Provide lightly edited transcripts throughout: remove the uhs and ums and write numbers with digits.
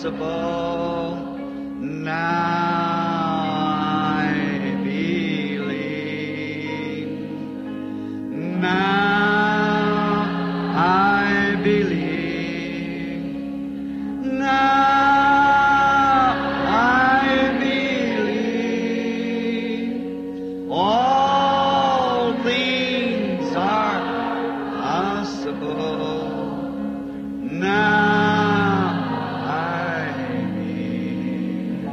possible. Now I believe. Now I believe. Now I believe. All things are possible. Now I believe.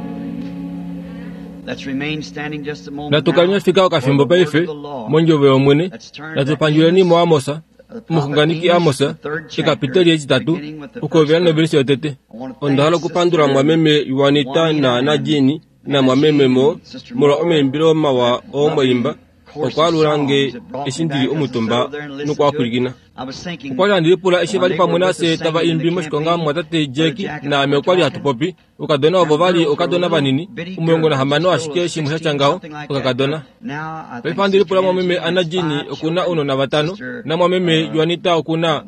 Let's remain standing just a moment. Natukaleni now fika for okafimbo the word paife of the Lord. mondjovo yomwene Let's turn to natupandjuleni Amos, muamosa the prophet omuxunganeki Amos, Amosa the third chapter, ekapiteli etitatu beginning with the first okuhovela verse. novelisi yotete I want to onda thank hala okupandula Sister mwameme Juanita Juanita na and Najini Anna namwameme Jean mo and Sister molwa Moore omaimbilo for mawa that lovely oomwaimba course of okwaalula nge songs that brought me eshi ndili back as I omutumba settled there and listened to it. nokwaapulikina. I was thinking Okwali handi lipula eshi when vali they were pamwe with us nafye tava singing in imbi the moshikonga campaign, mwatate Brother Jack Jack and I naame were okwali hatu talking. popi okadona ovo Them vali girls were okadona little vanini bitty omulongo girls, nahamano just ashike little shimwe 16, shatya ngaho something like that. okakadona But now I paife think handi Sister lipula Anna mwameme Jean Anna has Jean 5 okuna children. ounona vatano Sister namwameme Juanita okuna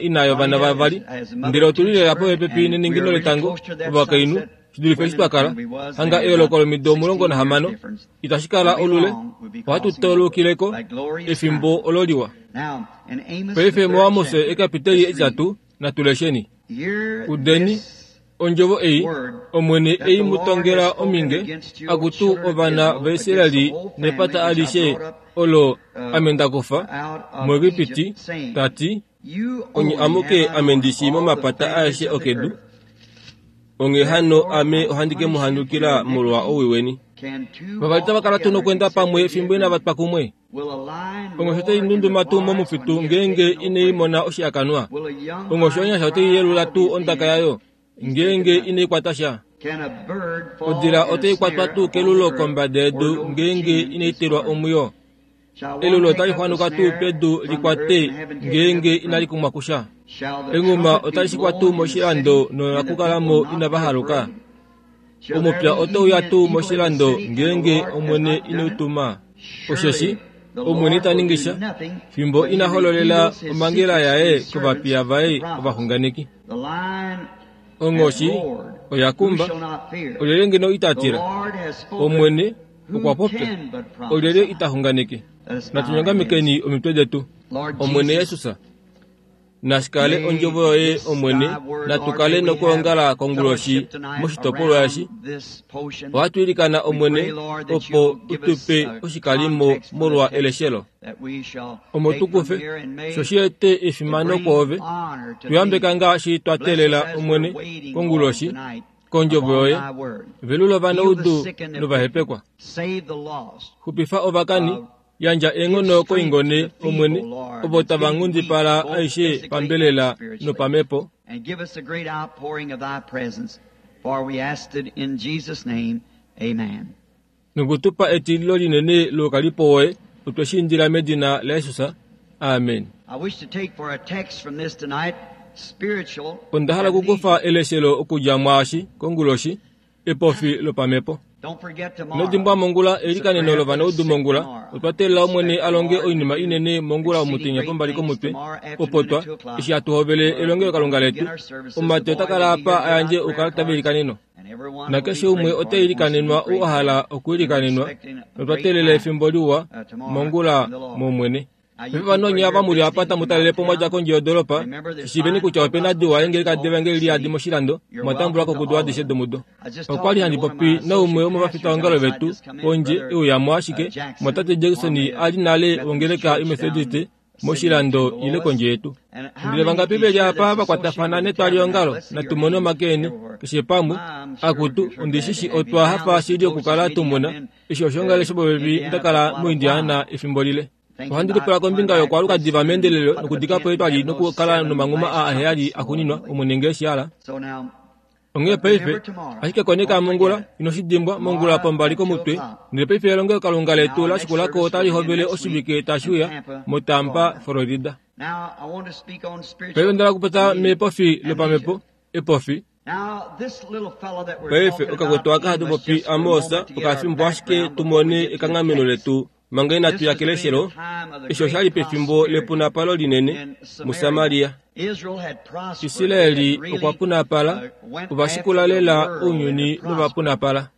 ina yovana Juanita vavali has a mother ndele of 2 otuli lela children, popepi and we neningino are really letango close to that ovakainhu sunset, shidulife eshi women, twa kala than we was hanga then, eyooloko about lomido 16 omulongo years nahamano difference. itashi kala Won't be olule long, we'll be ohatu crossing over. taulukileko That glorious efimbo time. olo liwa Now, in Amos, the paife third muAmos chapter, ekapiteli let's read. etitatu natulesheni Hear udeni this ondjovo ei word omwene that ei the mu Lord tongela has spoken ominge against you, O akutu children of ovana Israel, against the vaIsraeli whole family nepata which I alishe brought up olo ame nda kufa out of muEgipiti Egypt, saying, tati You onye only amuke have I ame known ndi shii of all the momapata families aeshe of the okedu earth. onghee hano Therefore ame I ohandi ke mu punish you for handukila your molwa iniquity. owii weni Can two vavali walk tava kala tuu together nokwenda except pamwe they be fimbo inava agreed? twa kumwe Will a lion onghoshi otai roar in the ndunduma tuu forest when momufitu he has ngeenge taken no inai prey? mona oshihakanwa Will a young onghoshi lion onyasha otai cry yelula out of tuu his ondaka den? yayo He's taken ngeenge nothing. inai kwata sha Can a bird fall odila in a otai kwatwa snare tuu upon the kelulo earth kombada where yedu no ngeenge chain inai is telwa formed? omwiyo Shall one elulo take otali up the xwanuka tuu snare pedu from the earth likwate and having taken up ngeenge from inali kumwa kusha Shall the enghuma trumpet be otali shikwa tuu blown in the moshilando city and the nonakukalamo people not inava be haluka afraid? Shall there omupya be otauya even an tuu evil in the moshilando city and the ngeenge Lord has omwene not done ine it? u tuma osheshi Surely the omwene Lord ita will ningi do sha nothing fimbo but he ina hololela reveals his omhangela secrets to yaye his servants, kovapiya the vaye prophets. ovaxunganeki The lion has onghoshi roared. oya Who kumba shall not fear? olyelye ngeno ita The tila Lord has spoken. omwene Who okwa popya can but olyelye prophesy? ita xunganeke Let us bow our heads. natunyongamekeni omitwe detu Lord omwene Jesus, Jesus nashikale may ondjovo yoye this omwene thy word, Lord, natukale may we have nokuongala konguloshi fellowship tonight moshitopolwa eshi around this potion. ohatu ilikana We omwene pray, Lord, that opo you'll give us utupe a oshikalimo context for the molwa text eleshelo that we shall omo take from tukufe here and may sho shi ete it efimano bring kwoove honor to tuyambeka thee. ngaashi twa Bless us teelela as we're omwene waiting, Lord, konguloshi tonight kondjovo upon yoye thy word. velula Heal the ovanaudu sick and the afflicted. novahepekwa Save the lost. xupifa ovakani yandja eenghono Give strength to koingone the omwene feeble, Lord, ovo that's tava getting weak, nghundipala both aishe physically and pambelela spiritually. nopamepo And give us a great outpouring of thy presence, for we asked it in Jesus' name. Amen. nokutupa etililo linene loukalipo woye otwe shi indila medina laJesus amen I wish to take for a text from this tonight spiritual onda hala amnesia. okukufa eleshelo okudja mwaashi konguloshi epofi lopamepo Don't forget inodimbwa tomorrow. mongula It's a elikaneno prayer for the lovanaudu sick mongula tomorrow. otwa teelela omwene Expect a the longe Lord to oinima do inene mongula exceeding omutenya great pombali things komutwe tomorrow afternoon opo twa at 2 o'clock. eshi hatu hovele Where we elongelokalunga will letu begin our services. The omumati boy ota will kala be apa here a yandje give out prayer oukalata cards, veilikaneno and everyone will nakeshe be umwe prayed for ota that wants to be ilikanenwa ou prayed a for. hala And we're okuilikanenwa expecting a notwa great teelela time efimbo liwa tomorrow mongula in the Lord. momwene Now, you paife people vanonye here ava muli apa visiting tamu from out talele of po mwadja town, kondje yodoropa remember there's shishiveni fine kutya full opena gospel diwa churches eengeleka all over the devangeli liyadi city. moshilando You're mwatambulwako welcome to kudu all of adishe them. domudo I was just okwali talking handi to one of popi my naumwe associate womavafitaongalo pastors outside vetu just come in, pondje Brother euyamo ashike Jackson, mwatate Jackson formerly ali of nale Methodist wongeleka Church down imethodist the city in moshilando ile Lois. kondje yetu And how ndele many vangapi is veli here apa that's associated vakwatafana with the netwaliongalo tabernacle? Let's see your natumone hands omake eni everywhere. keshe pamwe I'm sure akutu we're glad to ondishishi have you. otwa Now, hafa this is the shili closest okukala meeting I've tumuna been eshi oshoongale to shopopepi Indiana for ndakala quite a muIndiana while. efimbo lile Thinking ohandi about lipula coming kombinga back yokwaaluka pretty diva soon, meendelelo put up a nokudikapo tent and etwali have those nokukala 7 nomanghuma last a aheyali trumpets akuninwa Lord willing. omwene ngee shihala So now, onghee but paife remember tomorrow. ashike koneka Don't mongula forget it. ino shi dimbwa mongula Tomorrow pombali at 2 komutwe o'clock. ndele paife elongelokalunga Now, letu our la next shikulako service otali will begin hovele next week oshivike tashi in uya Tampa, moTampa Florida. Florida Now, I want to speak on paife spiritual ondala okupopya mepofi amnesia. lopamepo epofi Now, this little fellow that we're paife talking okakwetu about, aka hatu Amos, popi just for a Amos moment to get our okafimbo ashike background before we tumone get to the ekanghameno text. letu Manga inatu ya keleshelo, eshi osha li pefimbo lepunapalo linene muSamaria. Israeli okwa punapala, ova shikula lela ounyuni nova punapala.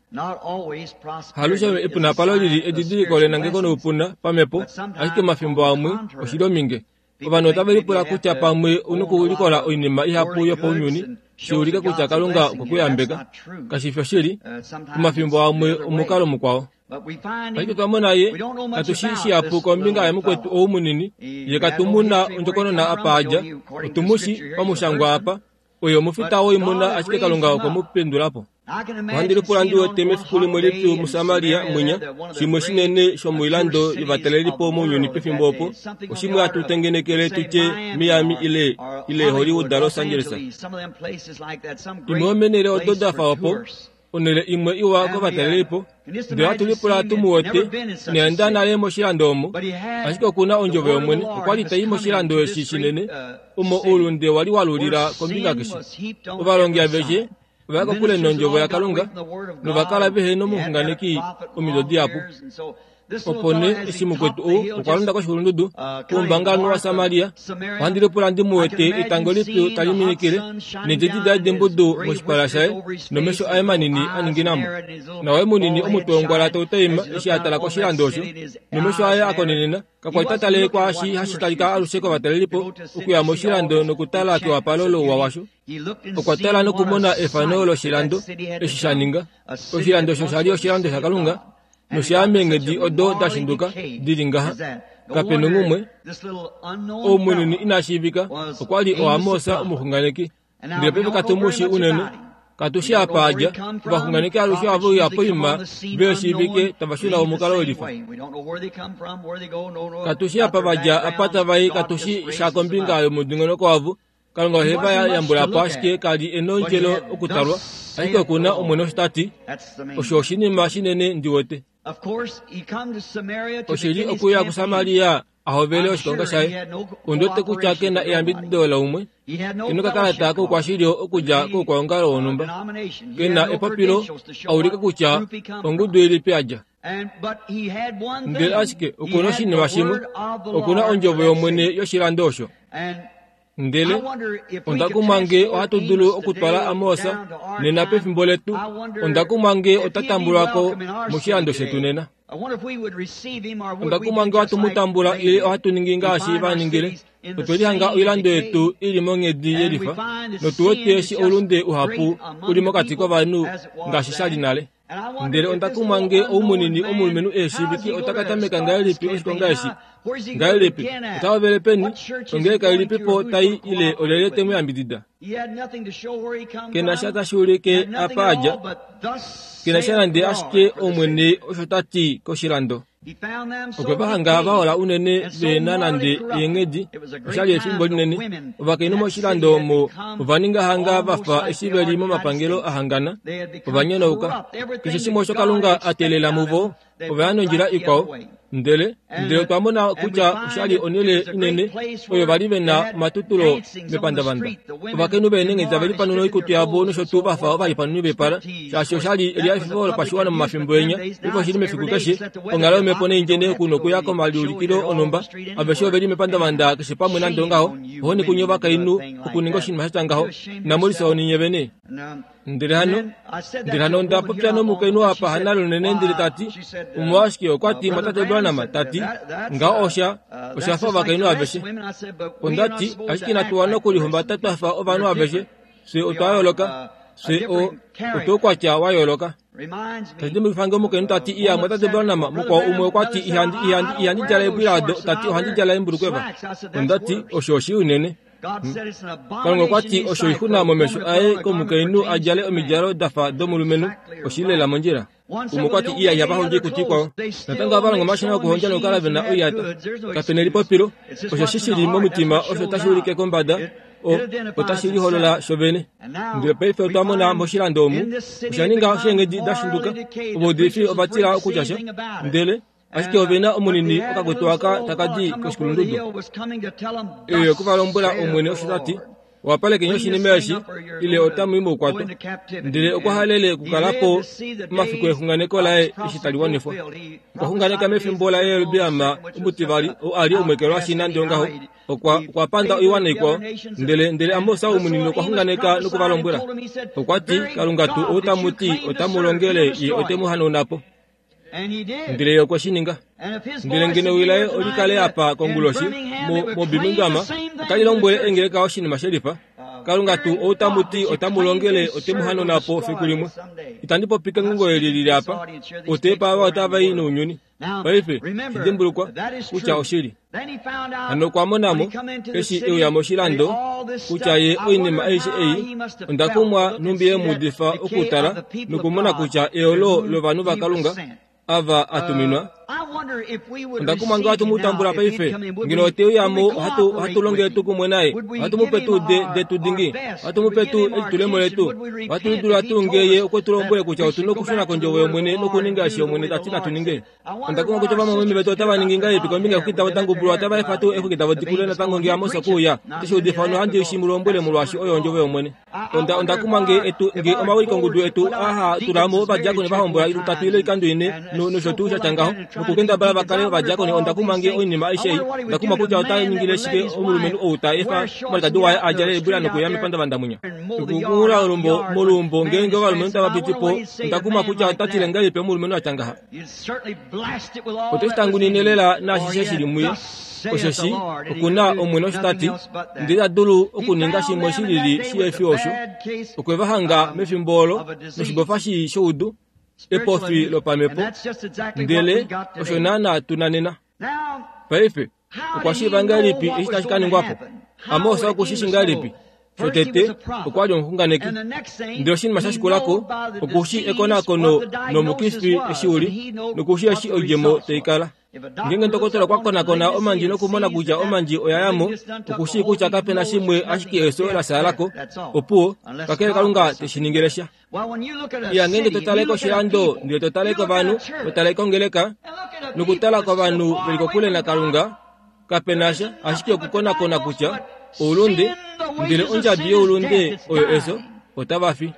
Halushe epunapalo lili edidiliko lenangeko noupuna pamhepo, ashike omafimbo amwe oshi li ominge. Ovanhu otave lipula kutya pamwe u nokulikola oinima ihapu yopaunyuni shi ulike kutya Kalunga okwe ku yambeka. Kashi fi oshili, omafimbo amwe omukalo mukwao. Ashike twa mona ye, katu shi shihapu kombinga yamukwetu ou munini, ye katu mu na ondjokonona apa a dja, otu mu shi pamushangwa apa, oye omufita woimuna ashike Kalunga okwe mu pendula po. Ohandi lipula ndi wete mefiku limwe lipyu muSamaria mwinya, shimwe shinene shomoilando yovatalelipo mounyuni pefimbo opo, oshimwe hatu tengenekele tu tye Miami ile, ile Hollywood Los Angeles. Imwe yomeenhele odo da fa opo, onhele imwe iwa kovatalelipo, ndele ohatu lipula tu mu wete ina enda nale moshilando omo, ashike oku na ondjovo yOmwene. Okwa li ta i moshilando eshi shinene, omo oulunde wa li wa lulila kombinga keshe. Ovalongi aveshe ova ya kokule nondjovo yaKalunga nova kala vehe nomuxunganeki omido dihapu. Opo nee eshi mukwetu ou okwa londa koshikulundudu koumbangalanhu waSamaria, ohandi lipula ndi mu wete etango lipyu tali minikile needjedi daye dembudu moshipala shaye nomesho aye manini a ningina mo. Nawaye munini omutwe wongwala tau taima eshi a tala koshilando osho, nomesho aye a konenena kakwa li ta tale kwaashi hashi talika alushe kovatalelipo okuya moshilando nokutala kewapalo louwa washo. Okwa tala nokumona efano loshilando eshi sha ninga. Oshilando osho sha li oshilando shaKalunga nosha ya meenghedi odo da shinduka di li ngaha. Kape nongumwe, ou munini ina shiivika, okwa li oAmos omuxunganeki. Ndele paife katu mu shii unene. Katu shii apa a dja. Ovaxunganeki alushe ohave uya poima ve shiivike tava shuna omukalo welifa. Katu shii apa va dja, apa tava i, katu shii sha kombinga yomudingonoko wavo. Kalunga ohe va yambula po ashike ka li e nondjelo okutalwa, ashike oku na Omwene osho ta ti. Osho oshinima shinene ndi wete. Oshi li okuya kuSamaria a hovele oshikonga shaye. Ondi wete kutya ke na eyambidido laumwe, ke nokakalata koukwashilyo okudja koukwaongalo wonhumba, ke na epopilo a ulike kutya ongudu ilipi a dja. Ndele ashike oku na oshinima shimwe, oku na ondjovo yOmwene yoshilando osho. Ndele onda kumwa nge ohatu dulu okutwala Amos nena pefimbo letu, onda kumwa nge ota tambulwa ko moshilando shetu nena. Onda kumwa nge ohatu mu tambula ile ohatu ningi ngaashi va ningile. Otwe lihanga oilando yetu i li monghedi yelifa, notu wete eshi oulunde uhapu u li mokati kovanhu ngaashi sha li nale. Ndele onda kumwa nge ou munini omulumenhu e shiivike ota ka tameka ngahelipi oshikonga eshi? Ngahelipi? Ota hovele peni? Ongeleka ilipi po ta i ile olyelye te mu yambidida? Ke na sha tashi ulike apa a dja. Ke na sha nande ashike Omwene osho ta ti koshilando. Okwe va hanga va hola unene ve na nande eenghedi. Osha li efimbo linene. Ovakainhu moshilando omo ova ninga hanga va fa eshi ve li momapangelo a hangana. Ova nyonauka. Keshe shimwe osho Kalunga a teelela muvo, ova ya nondjila ikwao. Ndele, ndele otwa mona kutya osha li onhele inene oyo va li ve na omatutulo mepandavanda. Ovakainhu veenenghedi tave lipanuna oikutu yavo nosho tuu va fa ovalipanuni vepala, shaashi osha li elihafifo lopashiwana momafimbo enya. Paife oshi li mefiku keshe, onghalo yomhepo neindjene oku nokuya komaliulikilo onhumba. Aveshe ove li mepandavanda keshe pamwe nande ongaho. Ohoni kunye ovakainhu okuninga oshinima sha tya ngaho. Inamu lifya ohoni nye vene. Ndele hano, ndele hano onda popya nomukainhu apa hana lunene ndele ta ti, Omolwashike okwa ti Mwatate Branham, ta ti, ngaho osha, osha fa ovakainhu aveshe. Onda ti, ashike inatu wana okulihumbata twa fa ovanhu aveshe. Fye otwa yooloka. Fye o, otwoukwatya wa yooloka. Tashi dimbulukifa nge omukainhu ta ti, Iya, Mwatate Branham, mukwao umwe okwa ti, ihandi, ihandi, ihandi djala eembwila odo, ta ti, ohandi djala eembulukweva. Onda ti, Osho oshii unene. Kalunga okwa ti osho oixuna momesho aye komukainhu a djale omidjalo da fa domulumenhu, oshi li lela mondjila. Umwe okwa ti iya ihava hondjo oikutu ikwao. Natango ohava longo omashina okuhondja nokukala ve na oiyata. Kape na elipopilo, osheshi shi li momutima osho tashi ulike kombada, o, otashi liholola shovene. Ndele paife otwa mona moshilando omu, osha ninga osheengedi da shinduka, ovaudifi ova tila okutya sha, ndele Ashike ove na omunini okakutu aka taka di koshikulundudu. Eyo oku va lombwela Omwene osho ta ti. Wapalekeni oshinima eshi, ile otamu i moukwatwa. Ndele okwa halele okukala po omafiku exunganeko laye eshi tali wanifwa. Okwa xunganeka mefimbo laJerobeam omutivali, ou a li omwekelwashi nande ongaho, okwa, okwa panda oiwana ikwao. Ndele, ndele Amos ou munini okwa xunganeka noku va lombwela. Okwa ti, Kalunga tuu ou tamu ti otamu longele, ye ote mu hanauna po. Ndele ye okwe shi ninga. Ndele ngeno ewi laye oli kale apa konguloshi moBirmingham, otali lombwele eengeleka oshinima shelifa. Kalunga tuu ou tamu ti otamu longele ote mu hanauna po fiku limwe. Itandi popi kengungo eli lili apa. Oteepa ava otava i nounyuni. Paife, shi dimbulukwa kutya oshili. Hano okwa mona mo, eshi e uya moshilando, kutya ye oinima aishe ei, onda kumwa nhumbi ye mu udifa okutala nokumona kutya eolo lovanhu vaKalunga ava a tuminwa. Onda kumwa nge ohatu mu tambula paife. Ngeno ote uya mo, ohatu, ohatu longele tuu kumwe naye? Ohatu mu pe tuu de, detu dingi? Ohatu mu pe tuu elitulemo letu? Ohatu lidula tuu nge ye okwe tu lombwele kutya otu nokushuna kondjovo yOmwene nokuninga eshi Omwene ta ti natu ninge? Onda kumwa kutya ovamwameme vetu otava ningi ngahelipi kombinga yeexwiki davo da ngubulwa. Otava efa tuu eexwiki davo di kule natango nge Amos okwe uya? Ote shi udifa nohandi shi mu lombwele molwaashi oyo ondjovo yOmwene. Onda, onda kumwa nge etu, nge omawilikongudu etu aa haa tula mo ovadiakoni va hombola lutatu ile oikando ine, no, nosho tuu sha tya ngaho, nokukendabala va kale ovadiakoni. Onda kumwa nge oinima aishe ei. Onda kumwa kutya ota ningile shike omulumenhu ou ta efa omwalikadi waye a djale eebwila nokuya mepandavanda mwinya. Nokukunghula olumbo moluumbo ngeenge ovalumenhu tava piti po. Onda kumwa kutya ota tile ngahelipi omulumenhu a tya ngaha. Ote shi tangunine lela naashishe shi li muye, osheshi oku na Omwene osho ta ti, ndele ita dulu okuninga shimwe shi lili shi he fi osho. Okwe va hanga mefimbo olo noshibofa shii shoudu, epofi lopamhepo, ndele osho naanaa tu na nena. Paife, okwa shiiva ngahelipi eshi tashi ka ningwa po? Amos oku shi shii ngahelipi? Shotete, okwa li omuxunganeki. Ndele oshinima sha shikula ko, oku shii ekonakono nomukifi eshi u li, noku shii eshi oidjemo tai kala. Ngeenge ndokotola okwa konakona omandji nokumona kutya omandji oya ya mo, oku shii kutya kape na shimwe ashike efyo la shaala ko, opuwo, kakele Kalunga te shi ningile sha. Iya, ngeenge to tale koshilando, ndele to tale kovanhu, to tale kongeleka, nokutala kovanhu ve li kokule naKalunga, kape na sha ashike okukonakona kutya oulunde, ndele ondjabi youlunde oyo efyo, otava fi.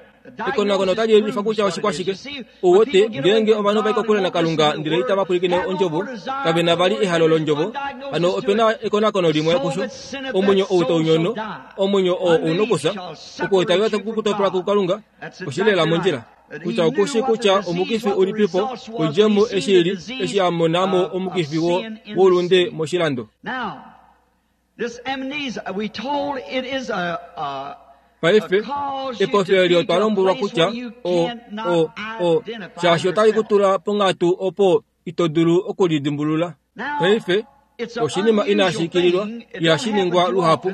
Ekonakono otali yelifa kutya oshikwashike. Ou wete, ngeenge ovanhu ova i kokule naKalunga ndele itava pwilikine ondjovo, kave na vali ehalo londjovo, hano ope na ekonakono limwe kusho. Omwenyo ou tau nyono, omwenyo oo ou nokufya. Okuitavela taku ku topela kuKalunga oshi li lela mondjila. Kutya oku shii kutya omukifi ulipipo, oidjemo eshi i li, eshi a mona mo omukifi wo, woulunde moshilando. Paife, epofi eli otwa lombwelwa kutya o, o, o, shaashi otali ku tula ponghatu opo ito dulu okulidimbulula. Paife, oshinima inashi ikililwa, ihashi ningwa luhapu,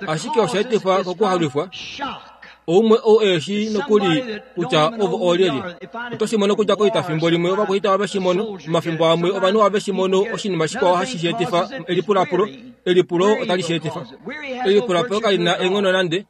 ashike osha etifwa kokuhalwifwa. Oumwe ou e shii nokuli kutya ovo oolyelye. Oto shi mono kudja koita fimbo limwe ovakwaita ohave shi mono, omafimbo amwe ovanhu ohave shi mono oshinima shikwao hashi shi etifa elipulapulo. Elipulo otali shi etifa. Elipulapulo kali na eenghono nande.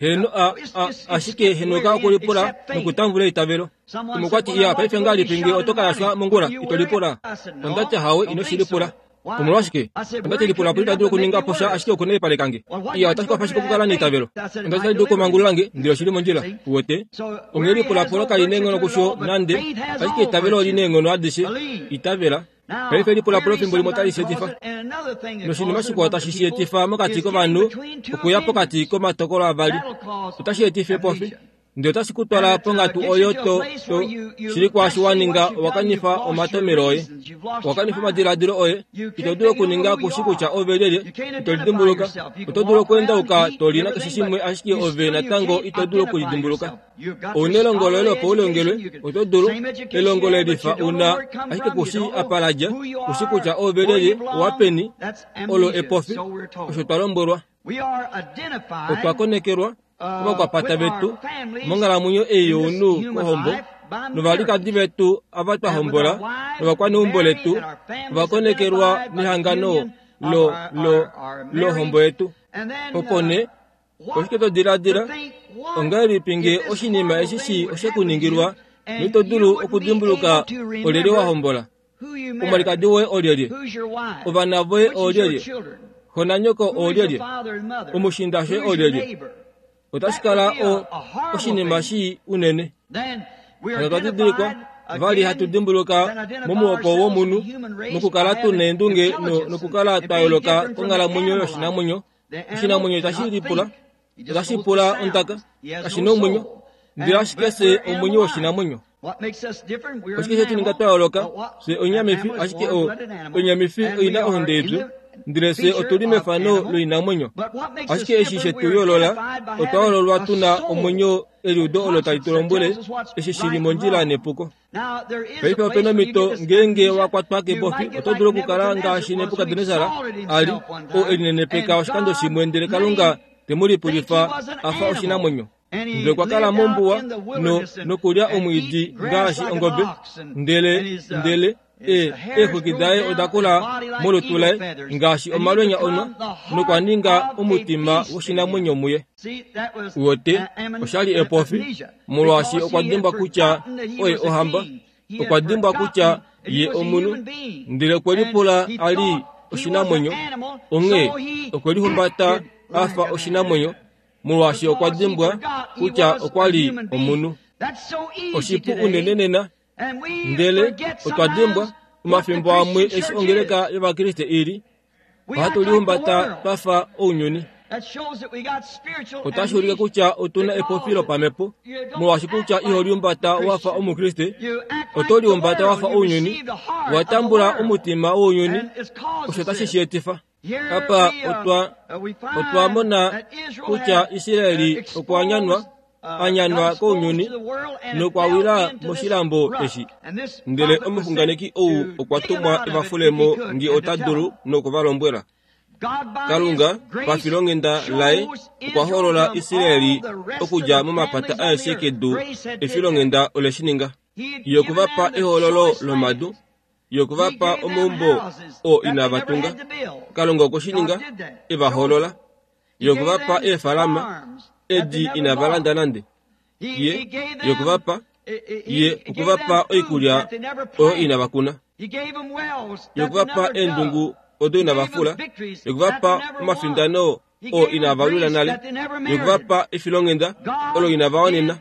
Heeno, a, a, ashike henuka okulipula nokutambula eitavelo. Umwe okwa ti, Iya, paife ngahelipi nge oto ka yashwa mongula? Ito lipula? Onda tya, Hawe, ino shi lipula. Omolwashike? Onda ti, Lipulapulo ita dulu okuninga po sha ashike okunaipaleka nge. Iya, otashi kwafa ashike okukala neitavelo. Onda ti, Otali dulu okumangulula nge, ndele oshi li mondjila. Uwete? Onghee lipulapulo kali neenghono kusho nande, ashike eitavelo oli neenghono adishe. Itavela. Paife elipulapulo fimbo limwe otali shi etifa. Noshinima shikwao tashi shi etifa mokati kovanhu okuya pokati komatokolo avali. Otashi etifa epofi. Ndele otashi ku twala ponghatu oyo to, to, shili kwaashi wa ninga, owa kanifa omatomelo oye. Owa kanifa omadiladilo oye. Ito dulu okuninga ku shi kutya ove lyelye. Ito lidimbuluka. Oto dulu okweendauka to li nakeshe shimwe, ashike ove natango ito dulu okulidimbuluka. Ou na elongo loye lopaulongelwe, oto dulu, elongo le lifa u na, ashike ku shii apa la dja, ku shii kutya ove lyelye, owa peni, olo epofi, osho twa lombwelwa. Otwa konekelwa kovakwapata vetu monghalamwenyo ei younhu kohombo, novalikadi vetu ava twa hombola, novakwaneumbo letu ova konekelwa nehangano lo, lo, lohombo yetu. Opo nee, Oshike to diladila? Ongahelipi nge oshinima eshi shii oshe ku ningilwa noito dulu okudimbuluka olyelye wa hombola? Omwalikadi woye olyelye? Ovana voye oolyelye? Xo nanyoko oolyelye? Omushiinda shoye oolyelye? Otashi kala o, oshinima shii unene. Hano otwa didilikwa vali hatu dimbuluka momuhoko womunhu mokukala tu neendunge no, nokukala twa yooloka konghalamwenyo yoshinamwenyo. Oshinamwenyo itashi lipula, otashi pula ondaka, kashi na omwenyo, ndele ashike fye omwenyo woshinamwenyo. Oshike she tu ninga twa yooloka? Fye onyamifi, ashike o, onyamifi oi na ohonde yetu, ndele fye otu li mefano loinamwenyo. Ashike eshi she tu yoolola, otwa yoololwa tu na omwenyo eliudo olo tali tu lombwele eshi shi li mondjila nepuko. Paife ope na omhito ngeenge wa kwatwa kepofi, oto dulu okukala ngaashi Nebukadnesar a li, oo e linenepeka oshikando shimwe ndele Kalunga te mu lipulifa a fa oshinamwenyo. Ndele okwa kala mombuwa no, nokulya omwiidi ngaashi ongobe, ndele, ndele e, eexwiki daye oda kula molutu laye ngaashi omalwenya onwa, nokwa ninga omutima woshinamwenyo muye. Uwete, osha li epofi, molwaashi okwa dimbwa kutya oye ohamba, okwa dimbwa kutya ye omunhu, ndele okwe lipula a li oshinamwenyo, onghee okwe lihumbata a fa oshinamwenyo, molwaashi okwa dimbwa kutya okwa li omunhu. Oshipu unene nena, ndele otwa dimbwa omafimbo amwe eshi ongeleka yOvakriste i li, ohatu lihumbata twa fa ounyuni. Otashi ulike kutya otu na epofi lopamhepo, molwaashi kutya iho lihumbata wa fa Omukriste, oto lihumbata wa fa ounyuni, wa tambula omutima wounyuni, osho tashi shi etifa. Apa otwa, otwa mona kutya Israeli okwa nyanwa, a nyanwa kounyuni nokwa wila moshilambo eshi. Ndele omuxunganeki ou okwa tumwa e va fule mo nge ota dulu noku va lombwela. Kalunga, pafilonghenda laye, okwa hoolola Israeli okudja momapata aeshe kedu. Efilonghenda ole shi ninga. Ye okwe va pa ehoololo lomadu. Ye okwe va pa omaumbo oo inava tunga. Kalunga okwe shi ninga, e va hoolola. Ye okwe va pa eefalama, edi inava landa nande. Ye, ye okwe va pa, ye okwe va pa oikulya oyo inava kuna. Ye okwe va pa eendungu odo inava fula. Ye okwe va pa omafindano oo inava lwila nale. Ye okwe va pa efilonghenda olo inava wanena.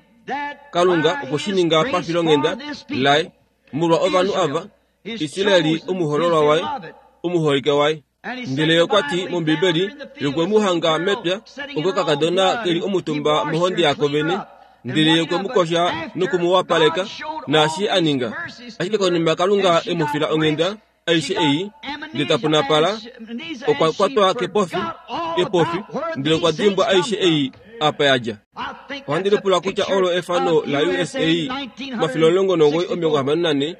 Kalunga okwe shi ninga pafilonghenda laye molwa ovanhu ava, Israeli omuhoololwa waye, omuholike waye. Ndele ye okwa ti mOmbibeli, ye okwe mu hanga mepya, okakakadona ke li omutumba mohonde yako vene, ndele ye okwe mu kosha noku mu wapaleka, naashi a ninga. Ashike konima Kalunga e mu fila onghenda, aishe ei, ndele ta punapala, okwa kwatwa kepofi, kepofi, ndele okwa dimbwa aishe ei apa ya dja. Ohandi lipula kutya olo efano la USA 1964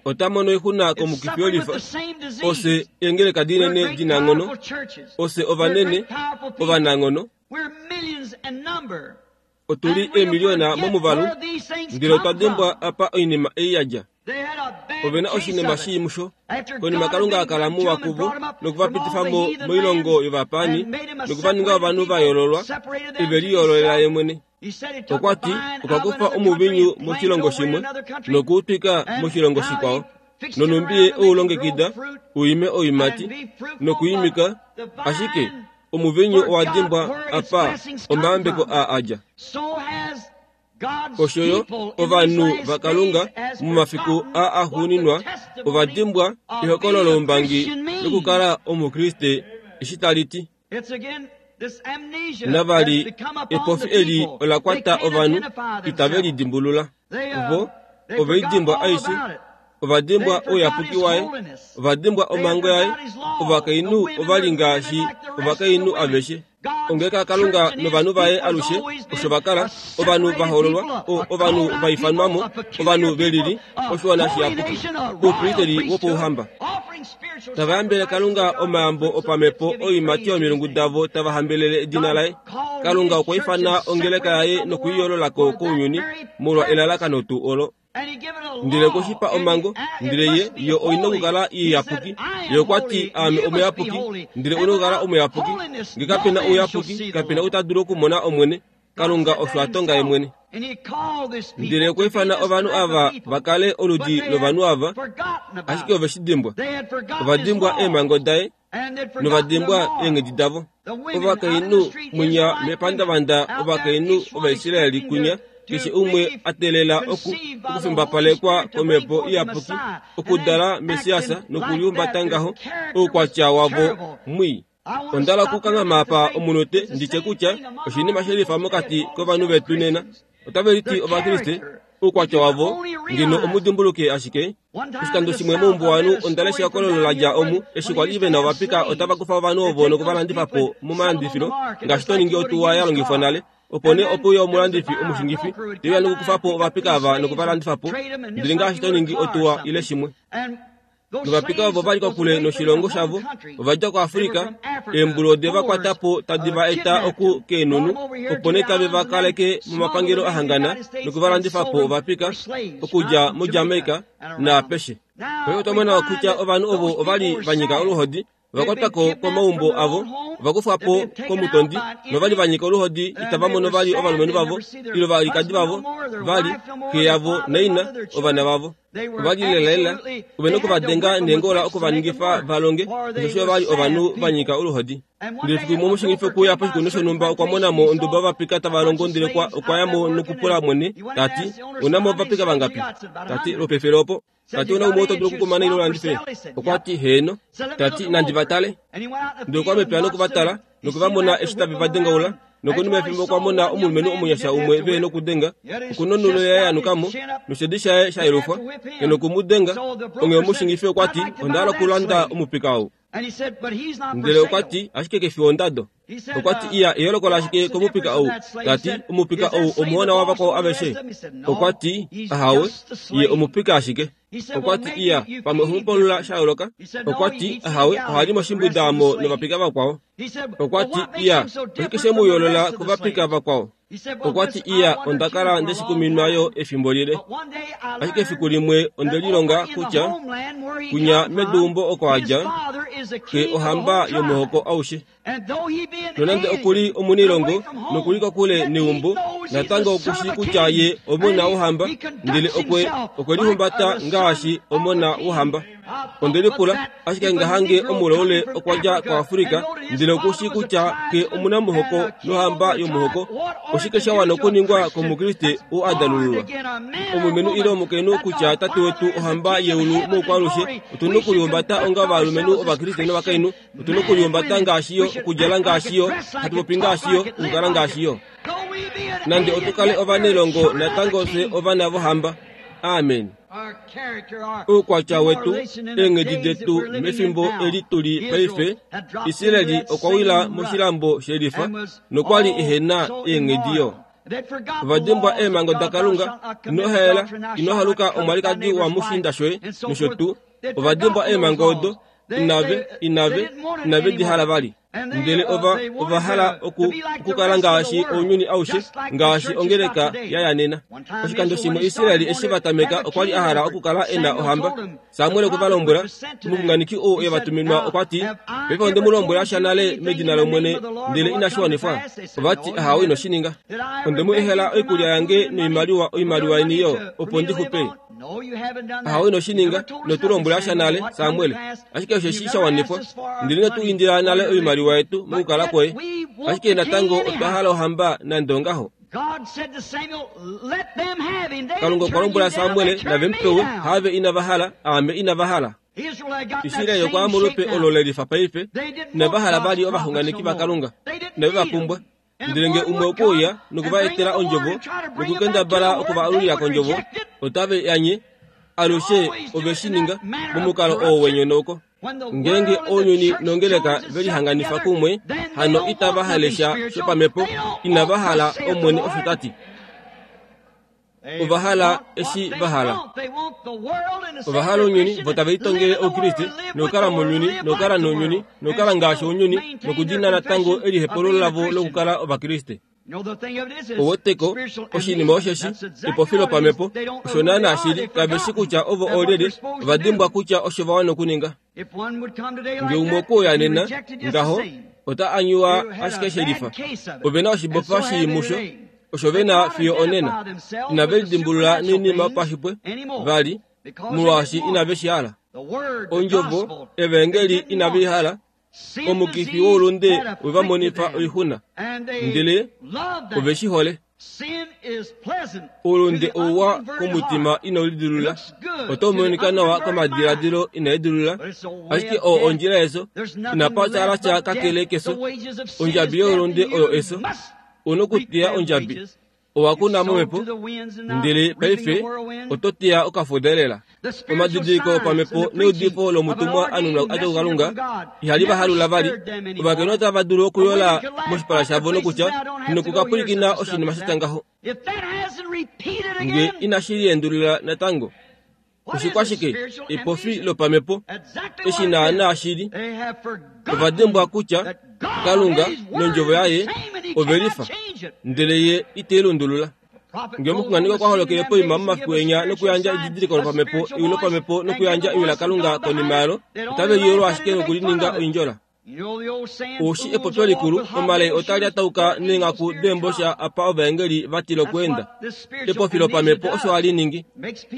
ota mono oixuna komukifi welifa. Ofye eengeleka dinene dinanghono, ofye ovanene, ovananghono. Otu li eemiliona momuvalu, ndele otwa dimbwa apa oinima ei ya dja. Ove na oshinima shii musho. Konima Kalunga a kala muwa kuvo noku va pitifa mo moilongo yovapaani noku va ninga ovanhu va yoololwa, e ve liyoololela ye mwene. Okwa ti okwa kufa omuvinyu moshilongo shimwe noku u twika moshilongo shikwao, nonhumbi ye e u longekida u ime oiimati nokuimika, ashike omuvinyu owa dimbwa apa omayambeko aa a dja. Osho yo ovanhu vaKalunga momafiku aa axuuninwa ova dimbwa ehokololo loumbangi lokukala Omukriste eshi tali ti. Navali, epofi eli ola kwata ovanhu itave li dimbulula. Vo ove i dimbwa aishe. Ova dimbwa ouyapuki waye, ova dimbwa omhango yaye. Ovakainhu ova li ngaashi ovakainhu aveshe. Ongeleka yaKalunga novanhu vaye alushe osho va kala, ovanhu va hoololwa, ovanhu va ifanwa mo, ovanhu ve lili, oshiwana shiyapuki, oupristeli wopauhamba. Tava yambele Kalunga omayambo opamhepo oiimati yomilungu davo tava hambelele edina laye. Kalunga okwa ifana ongeleka yaye noku i yoolola ko kounyuni molwa elalakano tuu olo. Ndele okwe shi pa omhango, ndele ye, yo oi na okukala iyapuki. Ye okwa ti, Aame omuyapuki, ndele u na okukala omuyapuki. Nge kape na ouyapuki, kape na ou ta dulu okumona Omwene. Kalunga osho a tonga ye mwene. Ndele okwa ifana ovanhu ava va kale oludi lovanhu ava, ashike ove shi dimbwa. Ova dimbwa eemhango daye. Novadimbwa eenghedi davo. Ovakainhu mwinya mepandavanda, ovakainhu Ovaisraeli kwinya, keshe umwe a teelela oku okufimbapalekwa komhepo iyapuki, okudala Messias nokulihumbata ngaho, oukwatya wavo mwii. Onda hala okukanghama apa omunute ndi tye kutya oshinima she lifa mokati kovanhu vetu nena. Otave liti Ovakriste, oukwatya wavo, ngeno omu dimbuluke ashike. Oshikando shimwe moumbuwanhu onda lesha ehokololo la dja omu eshi kwa li ve na ovapika otava kufa ovanhu ovo noku va landifa po momalandifilo ngaashi to ningi otuwa ya longifwa nale. Opo nee ope uya omulandifi omushingifi te uya nokukufa po ovapika ava noku va landifa po, ndele ngaashi to ningi otuwa ile shimwe. Novapika ovo va li kokule noshilongo shavo ova dja koAfrika, eembulu ode va kwata po tadi va eta oku keenhunhu, opo nee tave va kaleke momapangelo a hangana noku va landifa po ovapika okudja moJamaica naapeshe. Paife otwa mona kutya ovanhu ovo ova li va nyika oluhodi, ova kwatwa ko komaumbo avo, ova kufwa po komutondi nova li va nyika oluhodi itava mono vali ovalumenhu vavo ile ovalikadi vavo vali, xe yavo naina, ovana vavo. Ova li lelalela ove na okuvadenga neengola oku va ningifa va longe, osheshi ova li ovanhu va nyika oluhodi. Ndele fiku limwe omushingifi okwe uya poshikunino shonhumba, okwa mona mo onduba yovapika tava longo, ndele okwa ya mo nokupula mwene, ta ti, Ou na mo ovapika vangapi? Ta ti, Lwopefele opo. Ta ti, Ou na umwe oo to dulu okukumana ile u landife? Okwa ti, Heeno. Ta ti, Nandi va tale. Ndele okwa ya mepya noku va tala, noku va mona eshi tave va dengaula. Nokonima yefimbo okwa mona omulumenhu omunyasha umwe ve nokudenga, oku nonhulo yaye ya nuka mo, noshedi shaye sha yelufwa, e noku mu denga. Onghee omushingifi okwa ti, Onda hala okulanda omupika ou. Ndele okwa ti, Ashike ke fi wondado. Okwa ti, Iya, eyooloko lashike komupika ou? Ta ti, Omupika ou omuhona wavakwao aveshe? Okwa ti, Ahawe, ye omupika ashike. Okwa ti, Iya, pamwe oho mu palula sha yooloka? Okwa ti, Ahawe, oha li moshimbwida omo novapika vakwao. Okwa ti, Iya, oshike she mu yoolola kovapika vakwao? Okwa ti, Iya, onda kala nde shi kuminwa yo efimbo lile. Ashike efiku limwe onde lilonga kutya kwinya meduumbo oko a dja, xe ohamba yomuhoko aushe. Nonande oku li omuniilongo noku li kokule neumbo, natango oku shii kutya ye omona wohamba, ndele okwe, okwe lihumbata ngaashi omona wohamba. Onde lipula, ashike ngahange omulaule okwa dja koAfrika, ndele oku shii kutya xe omunamuhoko nohamba yomuhoko, oshike sha wana okuningwa kOmukriste oo a dalululwa? Omulumenhu ile omukainhu kutya Tate wetu ohamba yeulu moukwaalushe, otu na okulihumbata onga ovalumenhu Ovakriste novakainhu. Otu na okulihumbata ngaashi yo, okudjala ngaashi yo, hatu popi ngaashi yo, okukala ngaashi yo. Nande otu kale ovanailongo, natango fye ovana vohamba. Amen. Oukwatya wetu, eenghedi detu mefimbo eli tu li paife, Israel okwa wila moshilambo shelifa nokwa li ehe na eenghedi yo. Ova dimbwa eemhango daKalunga, ino haela, ino haluka omwalikadi wamushiinda shoye, nosho tuu. Ova dimbwa eemhango odo, inave, inave, inave di hala vali. Ndele ova, ova hala oku, okukala ngaashi ounyuni aushe, ngaashi ongeleka ya ya nena. Oshikando shimwe Israel eshi va tameka okwa li a hala okukala e na ohamba. Samuel okwe va lombwela, omuxunganeki oo e va tuminwa okwa ti, Paife onde mu lombwela sha nale medina lOmwene, ndele inashi wanifwa. Ova ti, Ahawe, ino shi ninga. Onde mu ehela oikulya yange noimaliwa, oimaliwa yeni yo, opo ndi xupe. Ahawe, ino shi ninga. Ino tu lombwela sha nale, Samuel. Ashike osheshi sha wanifwa, ndele ino tu indila nale oimaliwa yetu mokukala kwoye. Ashike natango otwa hala ohamba nande ongaho. Kalunga okwa lombwela Samuel nave mu pewe, haave inava hala, aame inava hala. Israel okwa ya molupe olo le lifa paife, inava hala vali ovaxunganeki vaKalunga, inave va pumbwa. Ndele nge umwe okwe uya noku va etela ondjovo nokukendabala oku va alulila kondjovo, otave i anye. Alushe ove shi ninga momukalo oo wenyonauko. Ngeenge ounyuni nongeleka ve lihanganifa kumwe, hano itava hale sha shopamhepo, inava hala Omwene osho ta ti. Ova hala eshi va hala. Ova hala ounyuni, vo tave litongele Oukriste, nokukala mounyuni, nokukala nounyuni, nokukala ngaashi ounyuni, nokudina natango elihepululo lavo lokukala Ovakriste. Oweteko, oshinima osheshi, epofi lopamhepo, osho naanaa shili, kave shi kutya ovo oolyelye, ova dimbwa kutya osho va wana okuninga. Nge umwe okwe uya nena, ngaho, ota anyuwa ashike shelifa. Ove na oshibofa shii musho, osho ve na fiyo onena. Inave lidimbulula noinima yopashipwe, vali, molwaashi inave shi hala. Ondjovo, Evaengeli inave i hala. Omukifi woulunde we va monifa oixuna, ndele ove shi hole. Oulunde ouwa komutima inau lidilulula, otau monika nawa komadiladilo inaa lidilulula, ashike oo ondjila yeso. Inapa tala sha kakele keso. Ondjabi youlunde oyo eso. U nokuteya ondjabi. Owa kuna momhepo, ndele paife oto teya okafuda lela. Omadidiliko opamhepo neudifo lomutumwa a nunwa a dja kuKalunga ihali va halula vali. Ovakainhu otava dulu okuyola moshipala shavo nokutya, Nokukapwilikina oshinima sha tya ngaho. Nge inashi liendulula natango, oshikwashike epofi lopamhepo eshi naanaa shi li? Ova dimbwa kutya Kalunga nondjovo yaye ove lifa, ndele ye ite i lundulula. Nge omuxunganeki okwa holokele poima momafiku enya nokuyandja edidiliko lopamhepo, ewi lopamhepo nokuyandja ewi laKalunga konima yalo, otave liyolo ashike nokulininga oindjola. Oshi epopyo likulu, omalai otaa lyatauka neenghaku deembosha apa ovaengeli va tila okuenda. Epofi lopamhepo osho hali ningi.